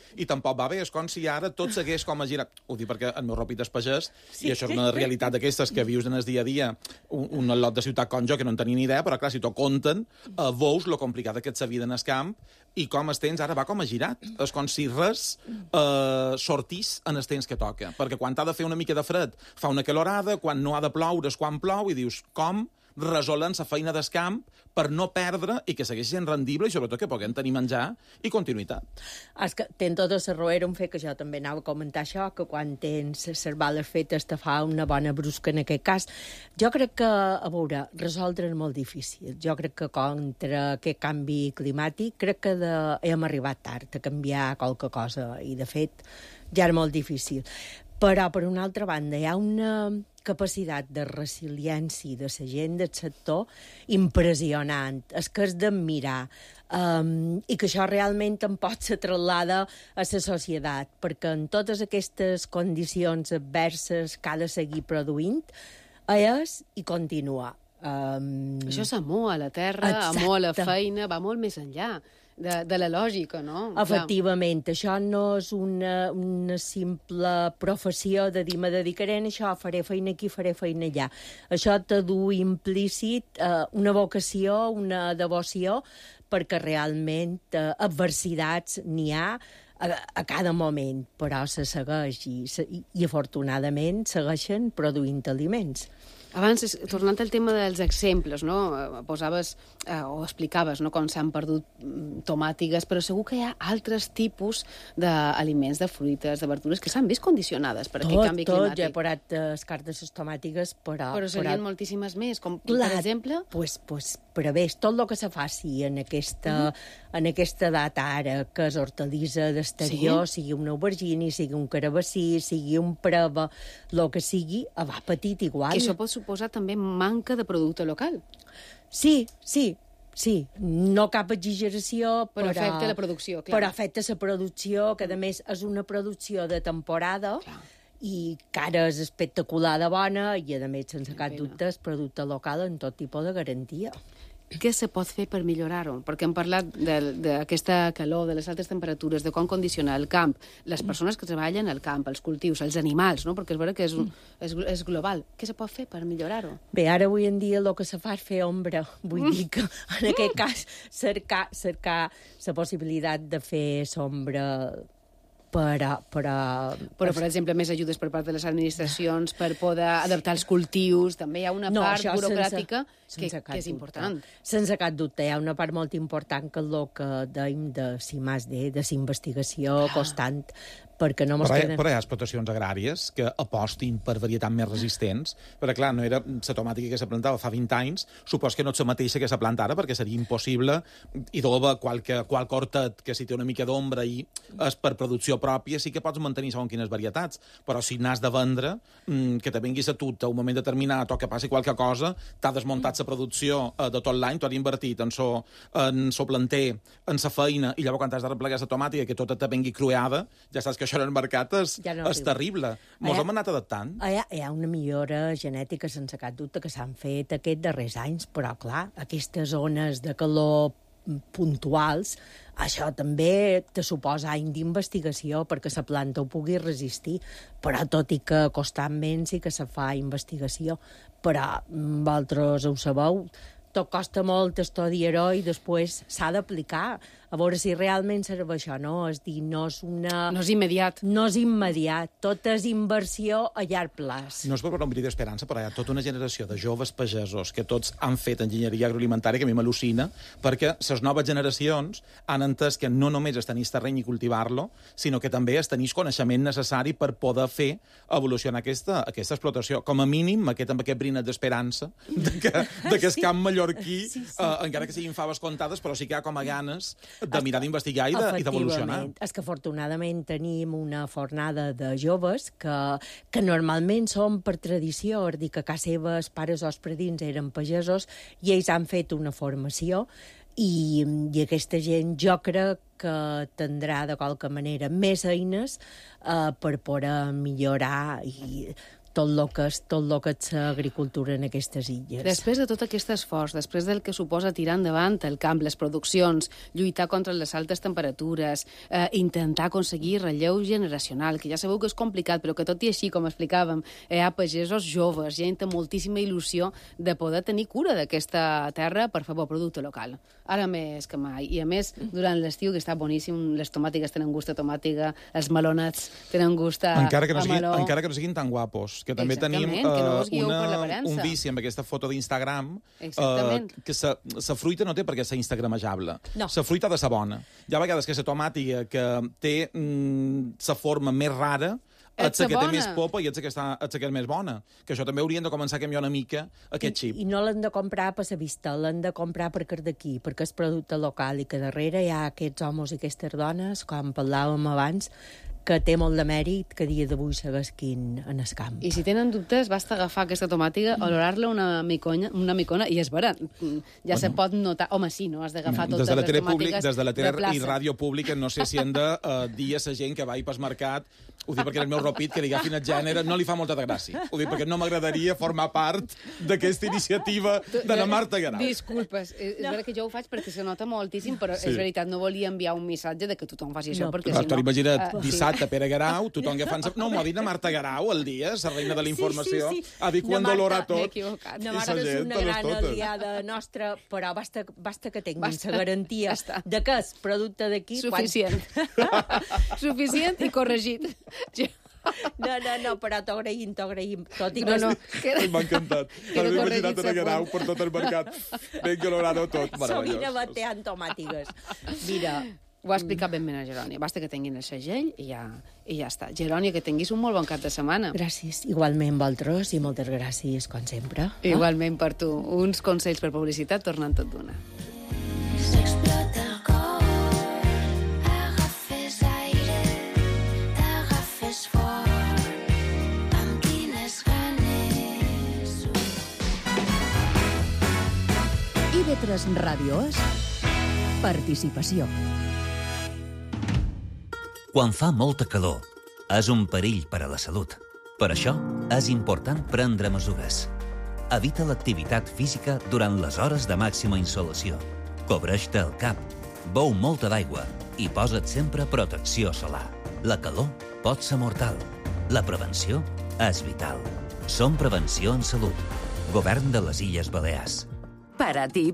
va bé. És com si ara tot segueix com a girat. Ho dic perquè el meu ropit és pagès, i això és una realitat d'aquestes que vius en el dia a dia, un lot de ciutat com jo, que no en tenia ni idea, però clar, si t'ho conten, veus lo complicada que ets la vida en el camp i com els temps ara va com a girat. És com si res sortís en els temps que toca. Perquè quan t'ha de fer una mica de fred fa una calorada, quan no ha de ploure és quan plou, i dius, com resolen la feina del camp per no perdre i que segueixi sent rendible i sobretot que puguem tenir menjar i continuïtat. És que tens tota la raó, era un fet que jo també anava a comentar això, que quan tens les bales fetes te fa una bona brusca en aquest cas. Jo crec que, a veure, resoldre és molt difícil. Jo crec que contra aquest canvi climàtic crec que hem arribat tard a canviar qualque cosa i, de fet, ja era molt difícil. Però, per una altra banda, hi ha una capacitat de resiliència de la gent del sector impressionant. És que és d'admirar. I que això realment en pot ser traslada a la societat, perquè en totes aquestes condicions adverses que ha de seguir produint, és i continua. Això és amor a la terra, amor a la feina, va molt més enllà de la lògica, no? Efectivament, això no és una simple professió de dir me dedicaré a això, faré feina aquí, faré feina allà. Això te du implícit una vocació, una devoció, perquè realment adversitats n'hi ha, a cada moment, però se segueix i afortunadament segueixen produint aliments. Abans, tornant al tema dels exemples, no? Posaves o explicaves, no?, com s'han perdut tomàtigues, però segur que hi ha altres tipus d'aliments, de fruites, de verdures, que s'han vist condicionades per aquest canvi climàtic. Jo he posat escart de les tomàtigues, però serien moltíssimes més, com per exemple? Però bé, tot el que se faci en aquesta data ara, que és hortalissa d'exterior, sigui un aubergini, sigui un carabassí, sigui un preva, el que sigui, va petit igual. Que això pot suposar també manca de producte local. Sí. No cap exageració, però afecta la producció, clar. Però afecta la producció, que a més és una producció de temporada, i que ara és espectacular de bona, i a més, sense cap dubte, és producte local en tot tipus de garantia. Què se pot fer per millorar-ho? Perquè hem parlat d'aquesta calor, de les altes temperatures, de com condicionar el camp, les persones que treballen al camp, els cultius, els animals, no? Perquè és vera que és global. Què se pot fer per millorar-ho? Bé, ara avui en dia el que se fa és fer ombra. Vull dir que, en aquest cas, cercar la possibilitat de fer sombra però, per exemple, més ajudes per part de les administracions per poder adaptar els cultius. També hi ha una part burocràtica que és important. Sense cap dubte, hi ha una part molt important que és el que dèiem de CIMAS-D, de la investigació constant, perquè no però hi ha explotacions agràries que apostin per varietats més resistents, perquè clar, no era la tomàtica que se plantava fa 20 anys, supos que no és la mateixa que se planta ara, perquè seria impossible idova qualque hortet que si té una mica d'ombra i és per producció pròpia, sí que pots mantenir segons quines varietats, però si n'has de vendre, que te venguis a tu a un moment determinat o que passi qualque cosa, t'ha desmuntat la producció de tot l'any, t'ho has invertit en so planter, en sa feina, i llavors quan has de replegar la tomàtica que tota te vengui crueada, ja saps que això en el mercat és terrible. Mos hem anat adaptant. Hi ha una millora genètica sense cap dubte que s'han fet aquests darrers anys, però clar, aquestes zones de calor puntuals, això també te suposa any d'investigació perquè la planta ho pugui resistir, però tot i que constantment sí que se fa investigació. Però vosaltres ho sabeu, tot costa molt estudiar-ho i després s'ha d'aplicar a veure si realment serveix això, no? És dir, no és immediat. No és immediat. Tot és inversió a llarg plaç. No és per un bri d'esperança, però hi ha tota una generació de joves pagesos que tots han fet enginyeria agroalimentària que a mi m'al·lucina, perquè les noves generacions han entès que no només és tenir terreny i cultivar-lo, sinó que també és tenir coneixement necessari per poder fer evolucionar aquesta explotació. Com a mínim, amb aquest brinet d'esperança de que el camp mallorquí, encara que siguin faves comptades, però sí que hi ha com a ganes de mirar d'investigar i d'evolucionar. És que afortunadament tenim una fornada de joves que normalment són per tradició, és dir, que a casa seva els pares o els predins eren pagesos i ells han fet una formació i aquesta gent jo crec que tindrà de qualque manera més eines per poder millorar i tot el que és l'agricultura en aquestes illes. Després de tot aquest esforç, després del que suposa tirar endavant el camp, les produccions, lluitar contra les altes temperatures, intentar aconseguir relleu generacional, que ja sabeu que és complicat, però que tot i així, com explicàvem, hi ha pagesos joves, gent amb moltíssima il·lusió de poder tenir cura d'aquesta terra per fer bo producte local. Ara més que mai. I a més, durant l'estiu, que està boníssim, les tomàtiques tenen gust a tomàtica, els melonats tenen gust a meló. Encara que no siguin tan guapos, que també tenim un vici amb aquesta foto d'Instagram, que la fruita no té perquè ser instagramejable. La fruita ha de ser bona. Hi ha vegades que la tomàtica que té la forma més rara ets la que té més popa i ets la que és més bona. Que això també haurien de començar a canviar una mica aquest xip. I no l'han de comprar per la vista, l'han de comprar perquè és d'aquí, perquè és producte local i que darrere hi ha aquests homes i aquestes dones, com parlàvem abans, que té molt de mèrit que dia d'avui seguesquin en el camp. I si tenen dubtes, basta agafar aquesta tomàtica, olorar-la una micona, i és vera, ja se pot notar. Home, sí, no? Has d'agafar totes les tomàtiques des de la tele i ràdio pública, no sé si hem de dir a la gent que va pel mercat Ho dic perquè el meu ropit, que li agafin el gènere, no li fa molta de gràcia. Ho dic perquè no m'agradaria formar part d'aquesta iniciativa de la Marta Guerau. Disculpes, és veritat que jo ho faig perquè se nota moltíssim, però és veritat, no volia enviar un missatge de que tothom faci això, perquè si no... Imagina't, dissabte, Pere Guerau, tothom agafant... No, m'ho ha dit la Marta Guerau el dia, la reina de la informació. Ha dit quan dolorà tot. M'he equivocat. No, Marta és una gran aliada nostra, però basta que tinguin la garantia de que és producte d'aquí... Suficient. Suficient i corregit. No, però t'agraïm. Tot i que... M'ha encantat. M'ha imaginat a Guerau per tot el mercat. Ben colorado tot. Sovint bateant tomàtiques. Mira... Ho ha explicat ben bé a Gerònia. Basta que tinguin el segell i ja està. Gerònia, que tinguis un molt bon cap de setmana. Gràcies. Igualment, vosaltres, i moltes gràcies, com sempre. Igualment per tu. Uns consells per publicitat tornant tot d'una. S'explota el cor, agafes aire, t'agafes fort, amb quines ganes. IB3 Ràdio és participació. Quan fa molta calor, és un perill per a la salut. Per això, és important prendre mesures. Evita l'activitat física durant les hores de màxima insolació. Cobreix-te el cap, beu molta d'aigua i posa't sempre protecció solar. La calor pot ser mortal. La prevenció és vital. Som Prevenció en Salut. Govern de les Illes Balears. Para ti,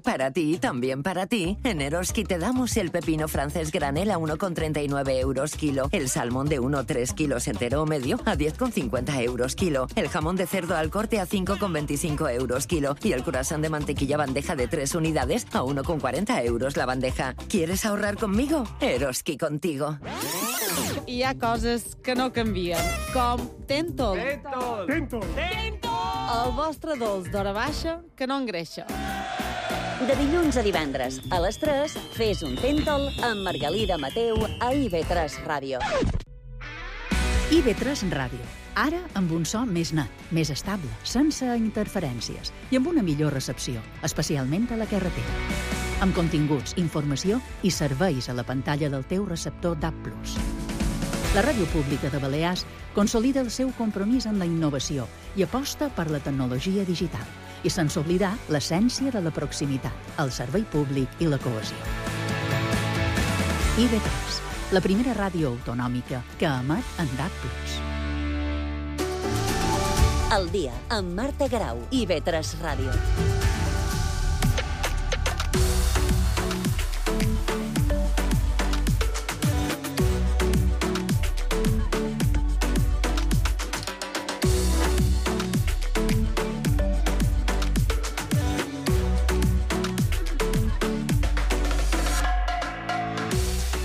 también para ti, en Eroski te damos el pepino francés granel a 1,39 euros kilo, el salmón de 1,3 kilos entero o medio a 10,50 euros kilo, el jamón de cerdo al corte a 5,25 euros kilo y el croissant de mantequilla bandeja de 3 unidades a 1,40 euros la bandeja. ¿Quieres ahorrar conmigo? Eroski contigo. Hi ha coses que no canvien, com Tentol. Tentol. El vostre dolç d'hora baixa que no engreixa. De dilluns a divendres, a les 3, fes un Tentol amb Margalida Mateu a IB3 Ràdio. IB3 Ràdio. Ara amb un so més net, més estable, sense interferències i amb una millor recepció, especialment a la carretera. Amb continguts, informació i serveis a la pantalla del teu receptor DAB+. La Ràdio Pública de Balears consolida el seu compromís amb la innovació i aposta per la tecnologia digital i sense oblidar l'essència de la proximitat, el servei públic i la cohesió. IB3, la primera ràdio autonòmica que emet en DAB+. El dia amb Marta Guerau, IB3 Ràdio.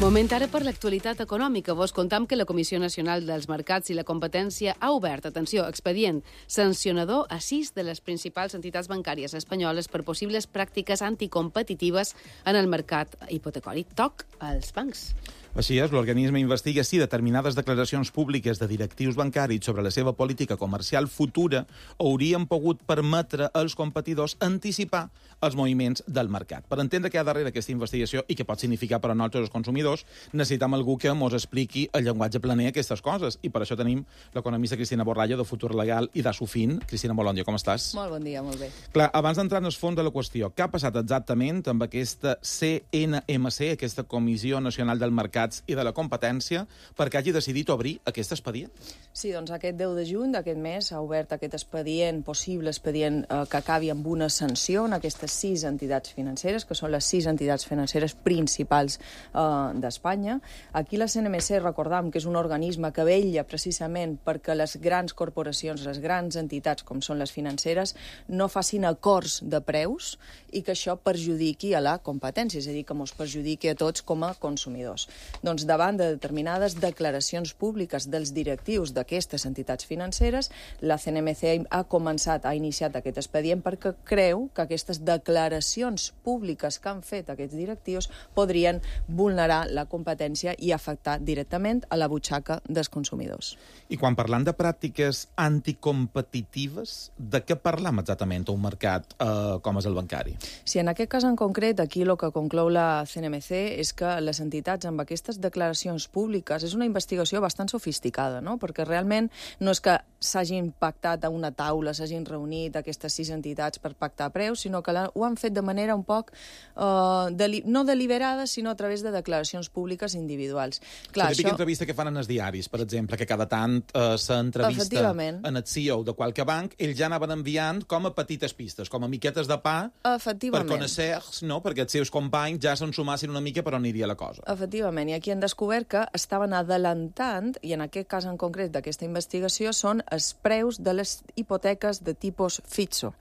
Moment ara per l'actualitat econòmica. Vos contam que la Comissió Nacional dels Mercats i la Competència ha obert, atenció, expedient sancionador a 6 de les principals entitats bancàries espanyoles per possibles pràctiques anticompetitives en el mercat hipotecari. Toc als bancs. Així és, l'organisme investiga si determinades declaracions públiques de directius bancaris sobre la seva política comercial futura haurien pogut permetre als competidors anticipar els moviments del mercat. Per entendre què hi ha darrere aquesta investigació i què pot significar per a nosaltres els consumidors, necessitam algú que ens expliqui el llenguatge planer aquestes coses. I per això tenim l'economista Cristina Borralla, de Futur Legal i d'Assofin. Cristina, molt bon dia, com estàs? Molt bon dia, molt bé. Clar, abans d'entrar en el fons de la qüestió, què ha passat exactament amb aquesta CNMC, aquesta Comissió Nacional del Mercat i de la Competència, perquè hagi decidit obrir aquest expedient? Sí, doncs aquest 10 de juny d'aquest mes s'ha obert aquest expedient, possible expedient que acabi amb una sanció en aquestes 6 entitats financeres, que són les 6 entitats financeres principals d'Espanya. Aquí la CNMC, recordam que és un organisme que vetlla precisament perquè les grans corporacions, les grans entitats, com són les financeres, no facin acords de preus i que això perjudiqui a la competència, és a dir, que ens perjudiqui a tots com a consumidors. Doncs davant de determinades declaracions públiques dels directius d'aquestes entitats financeres, la CNMC ha iniciat aquest expedient perquè creu que aquestes declaracions públiques que han fet aquests directius podrien vulnerar la competència i afectar directament a la butxaca dels consumidors. I quan parlant de pràctiques anticompetitives, de què parlam exactament a un mercat com és el bancari? Sí, en aquest cas en concret, aquí el que conclou la CNMC és que les entitats amb aquesta aquestes declaracions públiques. És una investigació bastant sofisticada, no? Perquè realment no és que s'hagin pactat a una taula, s'hagin reunit aquestes 6 entitats per pactar preus, sinó que ho han fet de manera un poc no deliberada, sinó a través de declaracions públiques individuals. Clar, la típica entrevista que fan en els diaris, per exemple, que cada tant s'entrevista en el CEO de qualque banc, ells ja anaven enviant com a petites pistes, com a miquetes de pa per conèixer, no? Perquè els seus companys ja se'n sumassin una mica per on aniria la cosa. Efectivament, i aquí han descobert que estaven adelantant, i en aquest cas en concret d'aquesta investigació, són els preus de les hipoteques de tipus Fitzo.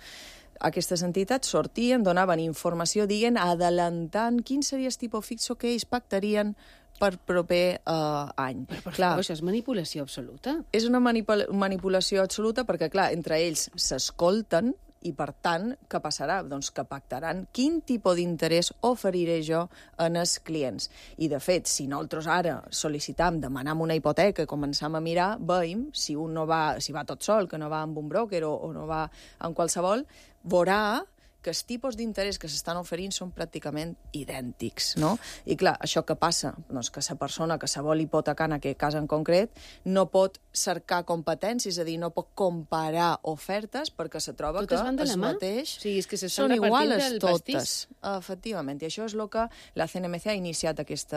Aquestes entitats sortien, donaven informació, adelantant quin seria el tipus Fitzo que ells pactarien per proper any. Però, per favor, això és manipulació absoluta. És una manipulació absoluta perquè, clar, entre ells s'escolten i, per tant, què passarà? Doncs que pactaran quin tipus d'interès oferiré jo en els clients. I, de fet, si nosaltres ara sol·licitam, demanam una hipoteca i començam a mirar, veiem, si un no va, si va tot sol, que no va amb un broker o no va amb qualsevol, veurà que els tipus d'interès que s'estan oferint són pràcticament idèntics, no? I clar, això què passa? Doncs que la persona que se vol hipotecar en aquest cas en concret no pot cercar competències, és a dir, no pot comparar ofertes perquè se troba que el mateix són iguales totes. Efectivament, i això és el que la CNMC ha iniciat aquest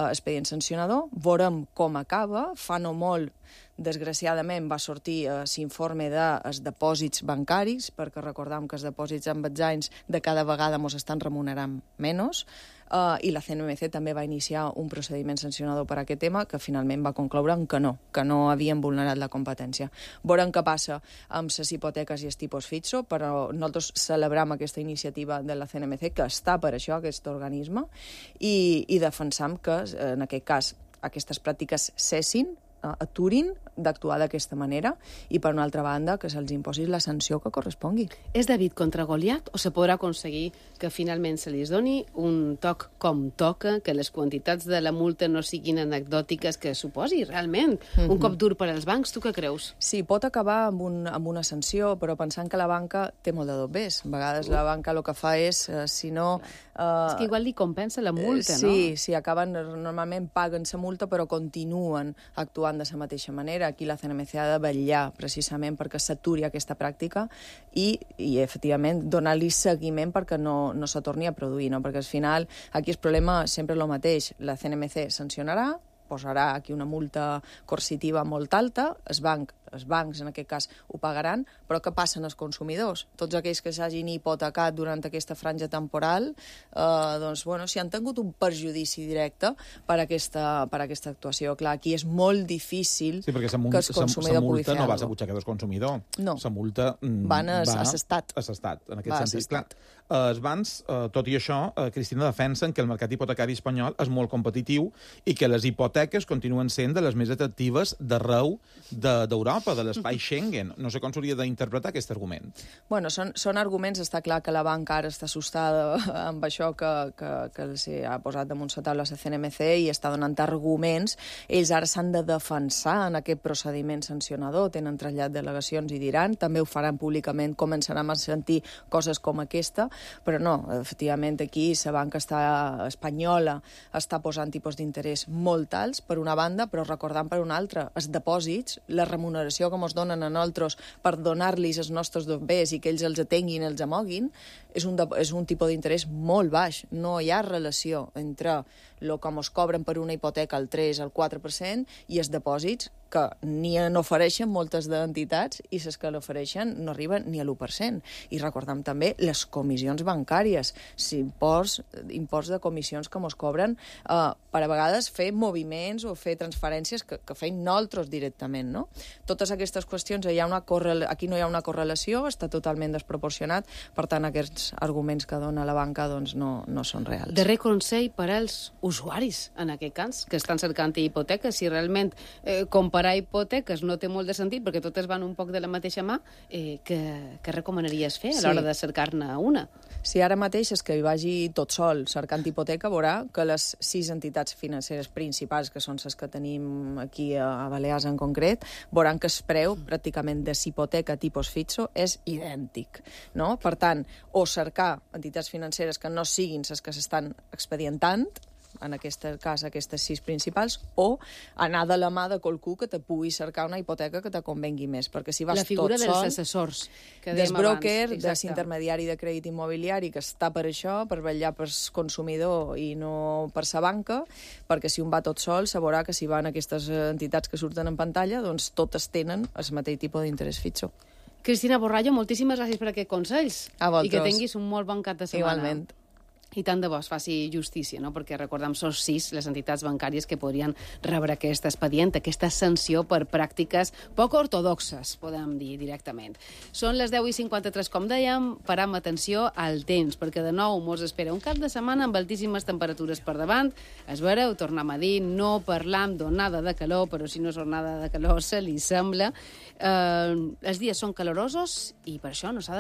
expedient sancionador. Veurem com acaba. Fa no molt, desgraciadament, va sortir l'informe dels depòsits bancaris, perquè recordam que els depòsits amb els anys de cada vegada ens estan remunerant menys, i la CNMC també va iniciar un procediment sancionador per a aquest tema que finalment va concloure que no havien vulnerat la competència. Veurem què passa amb les hipoteques i els tipus Fitzo, però nosaltres celebrem aquesta iniciativa de la CNMC, que està per això, aquest organisme, i defensam que, en aquest cas, aquestes pràctiques cessin, aturin d'actuar d'aquesta manera i, per una altra banda, que se'ls imposi la sanció que correspongui. És David contra Goliat o se podrà aconseguir que finalment se li doni un toc com toca, que les quantitats de la multa no siguin anecdòtiques, que suposi realment un cop dur per als bancs? Tu què creus? Sí, pot acabar amb una sanció, però pensant que la banca té molt de dobbers. A vegades la banca el que fa és, si no... És que igual li compensa la multa, no? Sí, acaben, normalment paguen la multa, però continuen actuant de la mateixa manera. Aquí la CNMC ha de vetllar precisament perquè s'aturi aquesta pràctica i efectivament, donar-li seguiment perquè no se torni a produir, no? Perquè al final aquí el problema sempre és el mateix. La CNMC sancionarà, posarà aquí una multa coercitiva molt alta, els bancs en aquest cas ho pagaran, però què passa als consumidors? Tots aquells que s'hagin hipotecat durant aquesta franja temporal, doncs, bueno, si han tingut un perjudici directe per aquesta actuació. Clar, aquí és molt difícil que el consumidor pugui fer alguna cosa. La multa no va a la butxaca del consumidor. No. La multa va a l'Estat. A l'Estat, en aquest sentit. Clar, els bancs, tot i això, Cristina, defensen que el mercat hipotecari espanyol és molt competitiu i que les hipoteques continuen sent de les més atractives d'arreu d'Europa, de l'espai Schengen. No sé com s'hauria d'interpretar aquest argument. Bueno, són arguments. Està clar que la banca ara està assustada amb això que ha posat damunt la taula la CNMC i està donant arguments. Ells ara s'han de defensar en aquest procediment sancionador, tenen trasllat delegacions i diran, també ho faran públicament, començaran a sentir coses com aquesta, però no, efectivament aquí la banca espanyola està posant tipus d'interès molt alts, per una banda, però recordant per una altra, els depòsits, la remuneració que ens donen a nosaltres per donar-los els nostres dobbers i que ells els atenguin, els amoguin, és un tipus d'interès molt baix. No hi ha relació entre el que ens cobren per una hipoteca al 3, al 4% i els depòsits que ni n'ofereixen moltes d'entitats i les que l'ofereixen no arriben ni a l'1%. I recordem també les comissions bancàries, imports de comissions que ens cobren per a vegades fer moviments o fer transferències que feim nosaltres directament, no? Totes aquestes qüestions, aquí no hi ha una correlació, està totalment desproporcionat, per tant aquests arguments que dona la banca doncs no són reals. Darrer consell per als usuaris, en aquest cas, que estan cercant hipoteques, si realment comparar hipoteques no té molt de sentit perquè totes van un poc de la mateixa mà, què recomanaries fer a l'hora de cercar-ne una? Si ara mateix és que hi vagi tot sol cercant hipoteca, veurà que les 6 entitats financeres principals, que són les que tenim aquí a Balears en concret, veuran que el preu pràcticament de hipoteca tipus Fitzo és idèntic, no? Per tant, o cercar entitats financeres que no siguin les que s'estan expedientant, en aquest cas aquestes 6 principals, o anar de la mà de qualcú que te pugui cercar una hipoteca que te convengui més, perquè si vas la figura tot dels sol, assessors que des dèiem broker, abans. des intermediari de crèdit immobiliari, que està per això, per vetllar per consumidor i no per sa banca, perquè si un va tot sol, sabrà que si van aquestes entitats que surten en pantalla, doncs totes tenen el mateix tipus d'interès fitxo. Cristina Borrallo, moltíssimes gràcies per aquests consells. A vosaltres. I que tinguis un molt bon cap de setmana. Igualment. I tant de bo es faci justícia, no? Perquè recordem, són 6 les entitats bancàries que podrien rebre aquest expedient, aquesta sanció per pràctiques poc ortodoxes, podem dir directament. Són les 10:53, com dèiem, param atenció al temps, perquè de nou mos espera un cap de setmana amb altíssimes temperatures per davant. Es veureu, tornem a dir, no parlam d'onada de calor, però si no és onada de calor se li sembla. Els dies són calorosos i per això no s'ha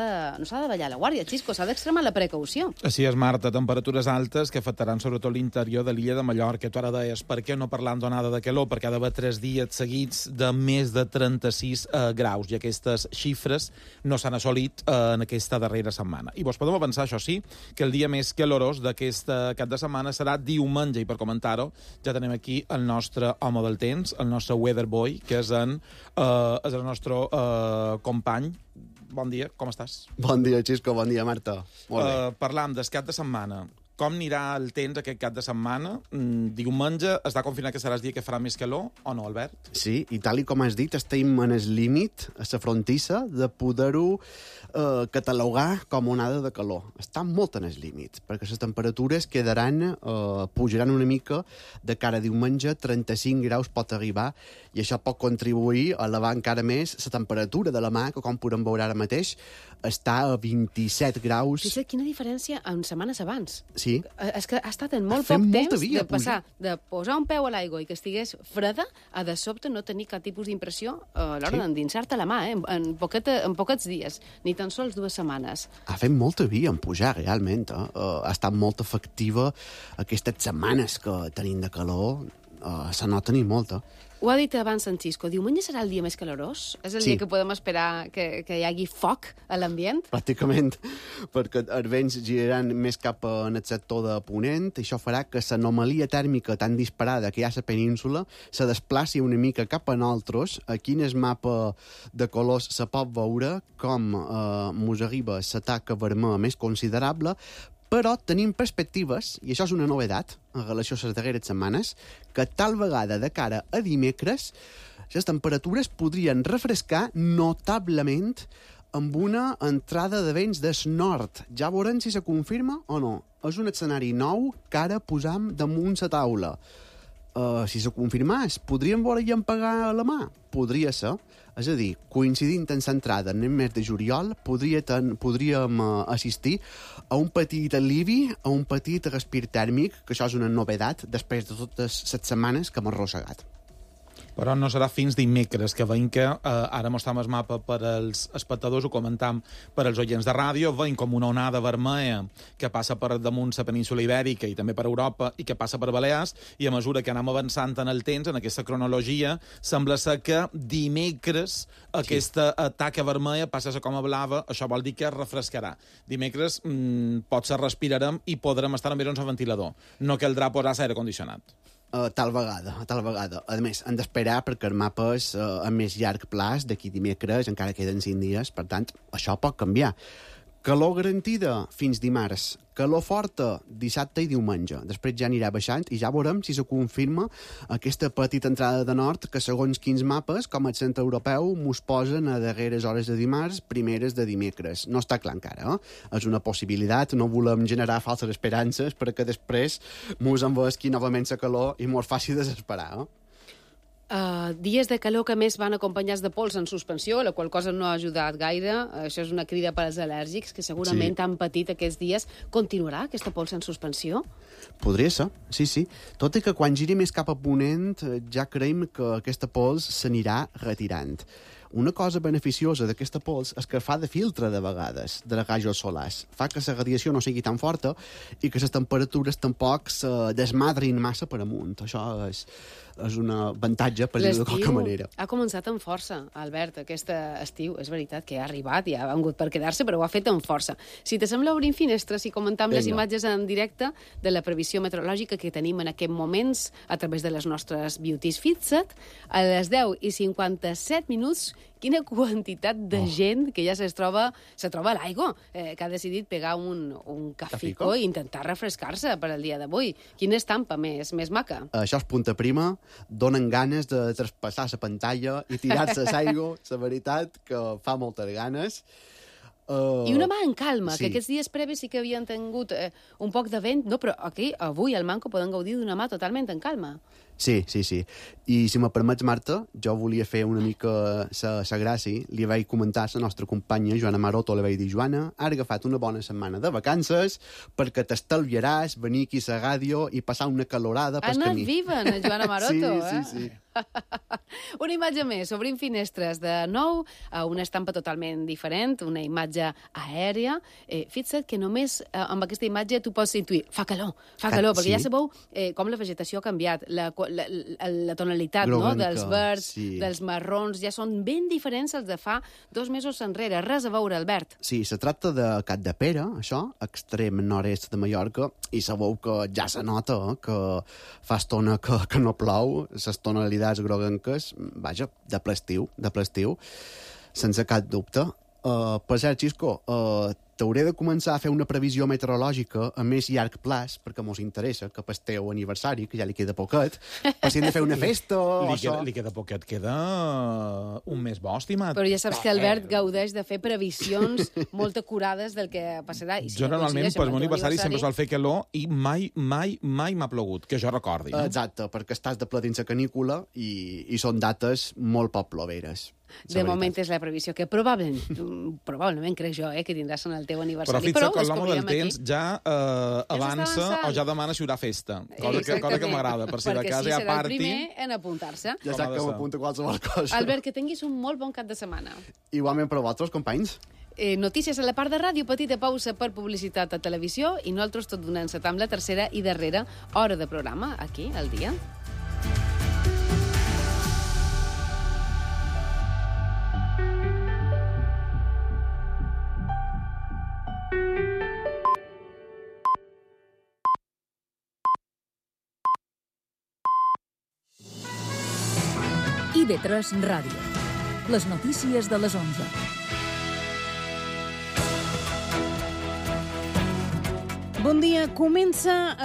de ballar la guàrdia, Xisco, s'ha d'extremar la precaució. Així és, Marta, temperatures altes que afectaran sobretot l'interior de l'illa de Mallorca. Tu ara deies, per què no parlant d'onada de calor? Perquè ha d'haver 3 dies seguits de més de 36 graus, i aquestes xifres no s'han assolit en aquesta darrera setmana. I vos podem avançar, això sí, que el dia més calorós d'aquest cap de setmana serà diumenge, i per comentar-ho ja tenim aquí el nostre home del temps, el nostre weather boy, que és el nostre company. Bon dia, com estàs? Bon dia, Xisco, bon dia, Marta. Molt bé. Parlam del cap de setmana. Com anirà el temps aquest cap de setmana? Diumenge està confirmat que serà el dia que farà més calor, o no, Albert? Sí, i tal com has dit, estem en el límit, a la frontissa, de poder-ho catalogar com onada de calor. Està molt en el límit, perquè les temperatures pujaran una mica de cara a diumenge, 35 graus pot arribar, i això pot contribuir a elevar encara més la temperatura de la mà, que com podem veure ara mateix, està a 27 graus. Fixa't quina diferència en setmanes abans. Sí. És que ha estat en molt poc temps de passar, de posar un peu a l'aigua i que estigués freda, a de sobte no tenir cap tipus d'impressió a l'hora d'endinsar-te la mà, en poquets dies, ni tan sols 2 setmanes. Ha fet molta via en pujar, realment. Ha estat molt efectiva aquestes setmanes que tenim de calor. Se nota ni molta. Ho ha dit abans en Xisco, diumenge serà el dia més calorós? És el dia que podem esperar que hi hagi foc a l'ambient? Pràcticament, perquè els vents giraran més cap en el sector de Ponent, i això farà que l'anomalia tèrmica tan disparada que hi ha a la península se desplaci una mica cap a nosaltres. Aquí en el mapa de colors se pot veure com mos arriba la taca vermella més considerable, però tenim perspectives, i això és una novetat en relació a les darreres setmanes, que tal vegada de cara a dimecres les temperatures podrien refrescar notablement amb una entrada de vents del nord. Ja veurem si se confirma o no. És un escenari nou que ara posam damunt la taula. Si se confirmés, podríem veure i empagar la mà? Podria ser. És a dir, coincidint en l'entrada en el mes de juliol, podríem assistir a un petit alivi, a un petit respir tèrmic, que això és una novetat després de totes les setmanes que hem arrossegat. Però no serà fins dimecres, que veiem que ara mostrem el mapa per als espectadors, ho comentam per als oients de ràdio, veiem com una onada vermella que passa per damunt la península Ibèrica i també per Europa i que passa per Balears, i a mesura que anem avançant en el temps, en aquesta cronologia, sembla ser que dimecres aquesta taca vermella passa a ser com a blava, això vol dir que es refrescarà. Dimecres potser respirarem i podrem estar amb airons a ventilador. No caldrà posar aire condicionat. Tal vegada. A més, hem d'esperar perquè el mapa és a més llarg plaç, d'aquí dimecres, encara queden 5 dies, per tant, això pot canviar. Calor garantida fins dimarts, calor forta dissabte i diumenge. Després ja anirà baixant i ja veurem si se confirma aquesta petita entrada de nord que, segons quins mapes, com el centre europeu, mos posen a darreres hores de dimarts, primeres de dimecres. No està clar encara, És una possibilitat, no volem generar falses esperances perquè després mos envesqui novament la calor i mos faci desesperar, Dies de calor que més van acompanyats de pols en suspensió, la qual cosa no ha ajudat gaire. Això és una crida per als al·lèrgics, que segurament han patit aquests dies. Continuarà aquesta pols en suspensió? Podria ser, sí. Tot i que quan giri més cap a ponent ja creiem que aquesta pols s'anirà retirant. Una cosa beneficiosa d'aquesta pols és que fa de filtre de vegades de rajos solars. Fa que la radiació no sigui tan forta i que les temperatures tampoc se desmadrin massa per amunt. Això és un avantatge, per dir-ho de qualque manera. Ha començat amb força, Albert, aquest estiu. És veritat que ha arribat i ha vengut per quedar-se, però ho ha fet amb força. Si te sembla, obrim finestres i comentam les imatges en directe de la previsió meteorològica que tenim en aquests moments a través de les nostres Beauties Fixed. A les 10:57 minuts, quina quantitat de gent que ja se troba a l'aigua, que ha decidit pegar un cafico i intentar refrescar-se per al dia d'avui. Quina estampa més maca. Això és punta prima, donen ganes de traspassar la pantalla i tirar-se a l'aigua, la veritat, que fa moltes ganes. I una mà en calma, que aquests dies previs sí que havien tingut un poc de vent, no, però aquí, avui, al Manco, poden gaudir d'una mà totalment en calma. Sí. I si me permets, Marta, jo volia fer una mica la gràcia. Li vaig comentar a la nostra companya, Joana Maroto, li vaig dir, Joana, has agafat una bona setmana de vacances perquè t'estalviaràs venir aquí a la ràdio i passar una calorada pel camí. Ha anat viva, en Joana Maroto, Sí. Una imatge més, obrim finestres de nou, una estampa totalment diferent, una imatge aèria. Fixa't que només amb aquesta imatge tu pots intuir, fa calor, perquè ja sabeu com la vegetació ha canviat, la tonalitat dels verds, dels marrons, ja són ben diferents els de fa 2 mesos enrere. Res a veure, Albert. Sí, se tracta de Capdepera, això, extrem nord-est de Mallorca, i sabeu que ja se nota que fa estona que no plou, les tonalitats groguenques, vaja, de ple estiu, sense cap dubte. Per cert, Xisco, t'hauré de començar a fer una previsió meteorològica a més llarg plaç, perquè mos interessa que pel teu aniversari, que ja li queda poquet, per si hem de fer una festa o això. Li queda poquet, queda un mes bo, estimat. Però ja saps que Albert gaudeix de fer previsions molt acurades del que passarà. I si jo normalment, per meu aniversari, sempre sol fer calor i mai m'ha plogut, que jo recordi. No? Exacte, perquè estàs de pla dins la canícula i són dates molt poc ploveres. De moment és la previsió que probablement crec jo que tindràs en el teu aniversari. Però fixa't que l'home del temps ja avança o ja demana si hi haurà festa, cosa que m'agrada, per si de casa hi ha party. Perquè si serà el primer en apuntar-se. Ja sap que m'apunta qualsevol cosa. Albert, que tinguis un molt bon cap de setmana. Igualment per vosaltres, companys. Notícies a la part de ràdio, petita pausa per publicitat a televisió i nosaltres tot donant-se amb la tercera i darrera hora de programa, aquí, al dia. IB3 Ràdio. Les notícies de les 11. Bon dia. Comença a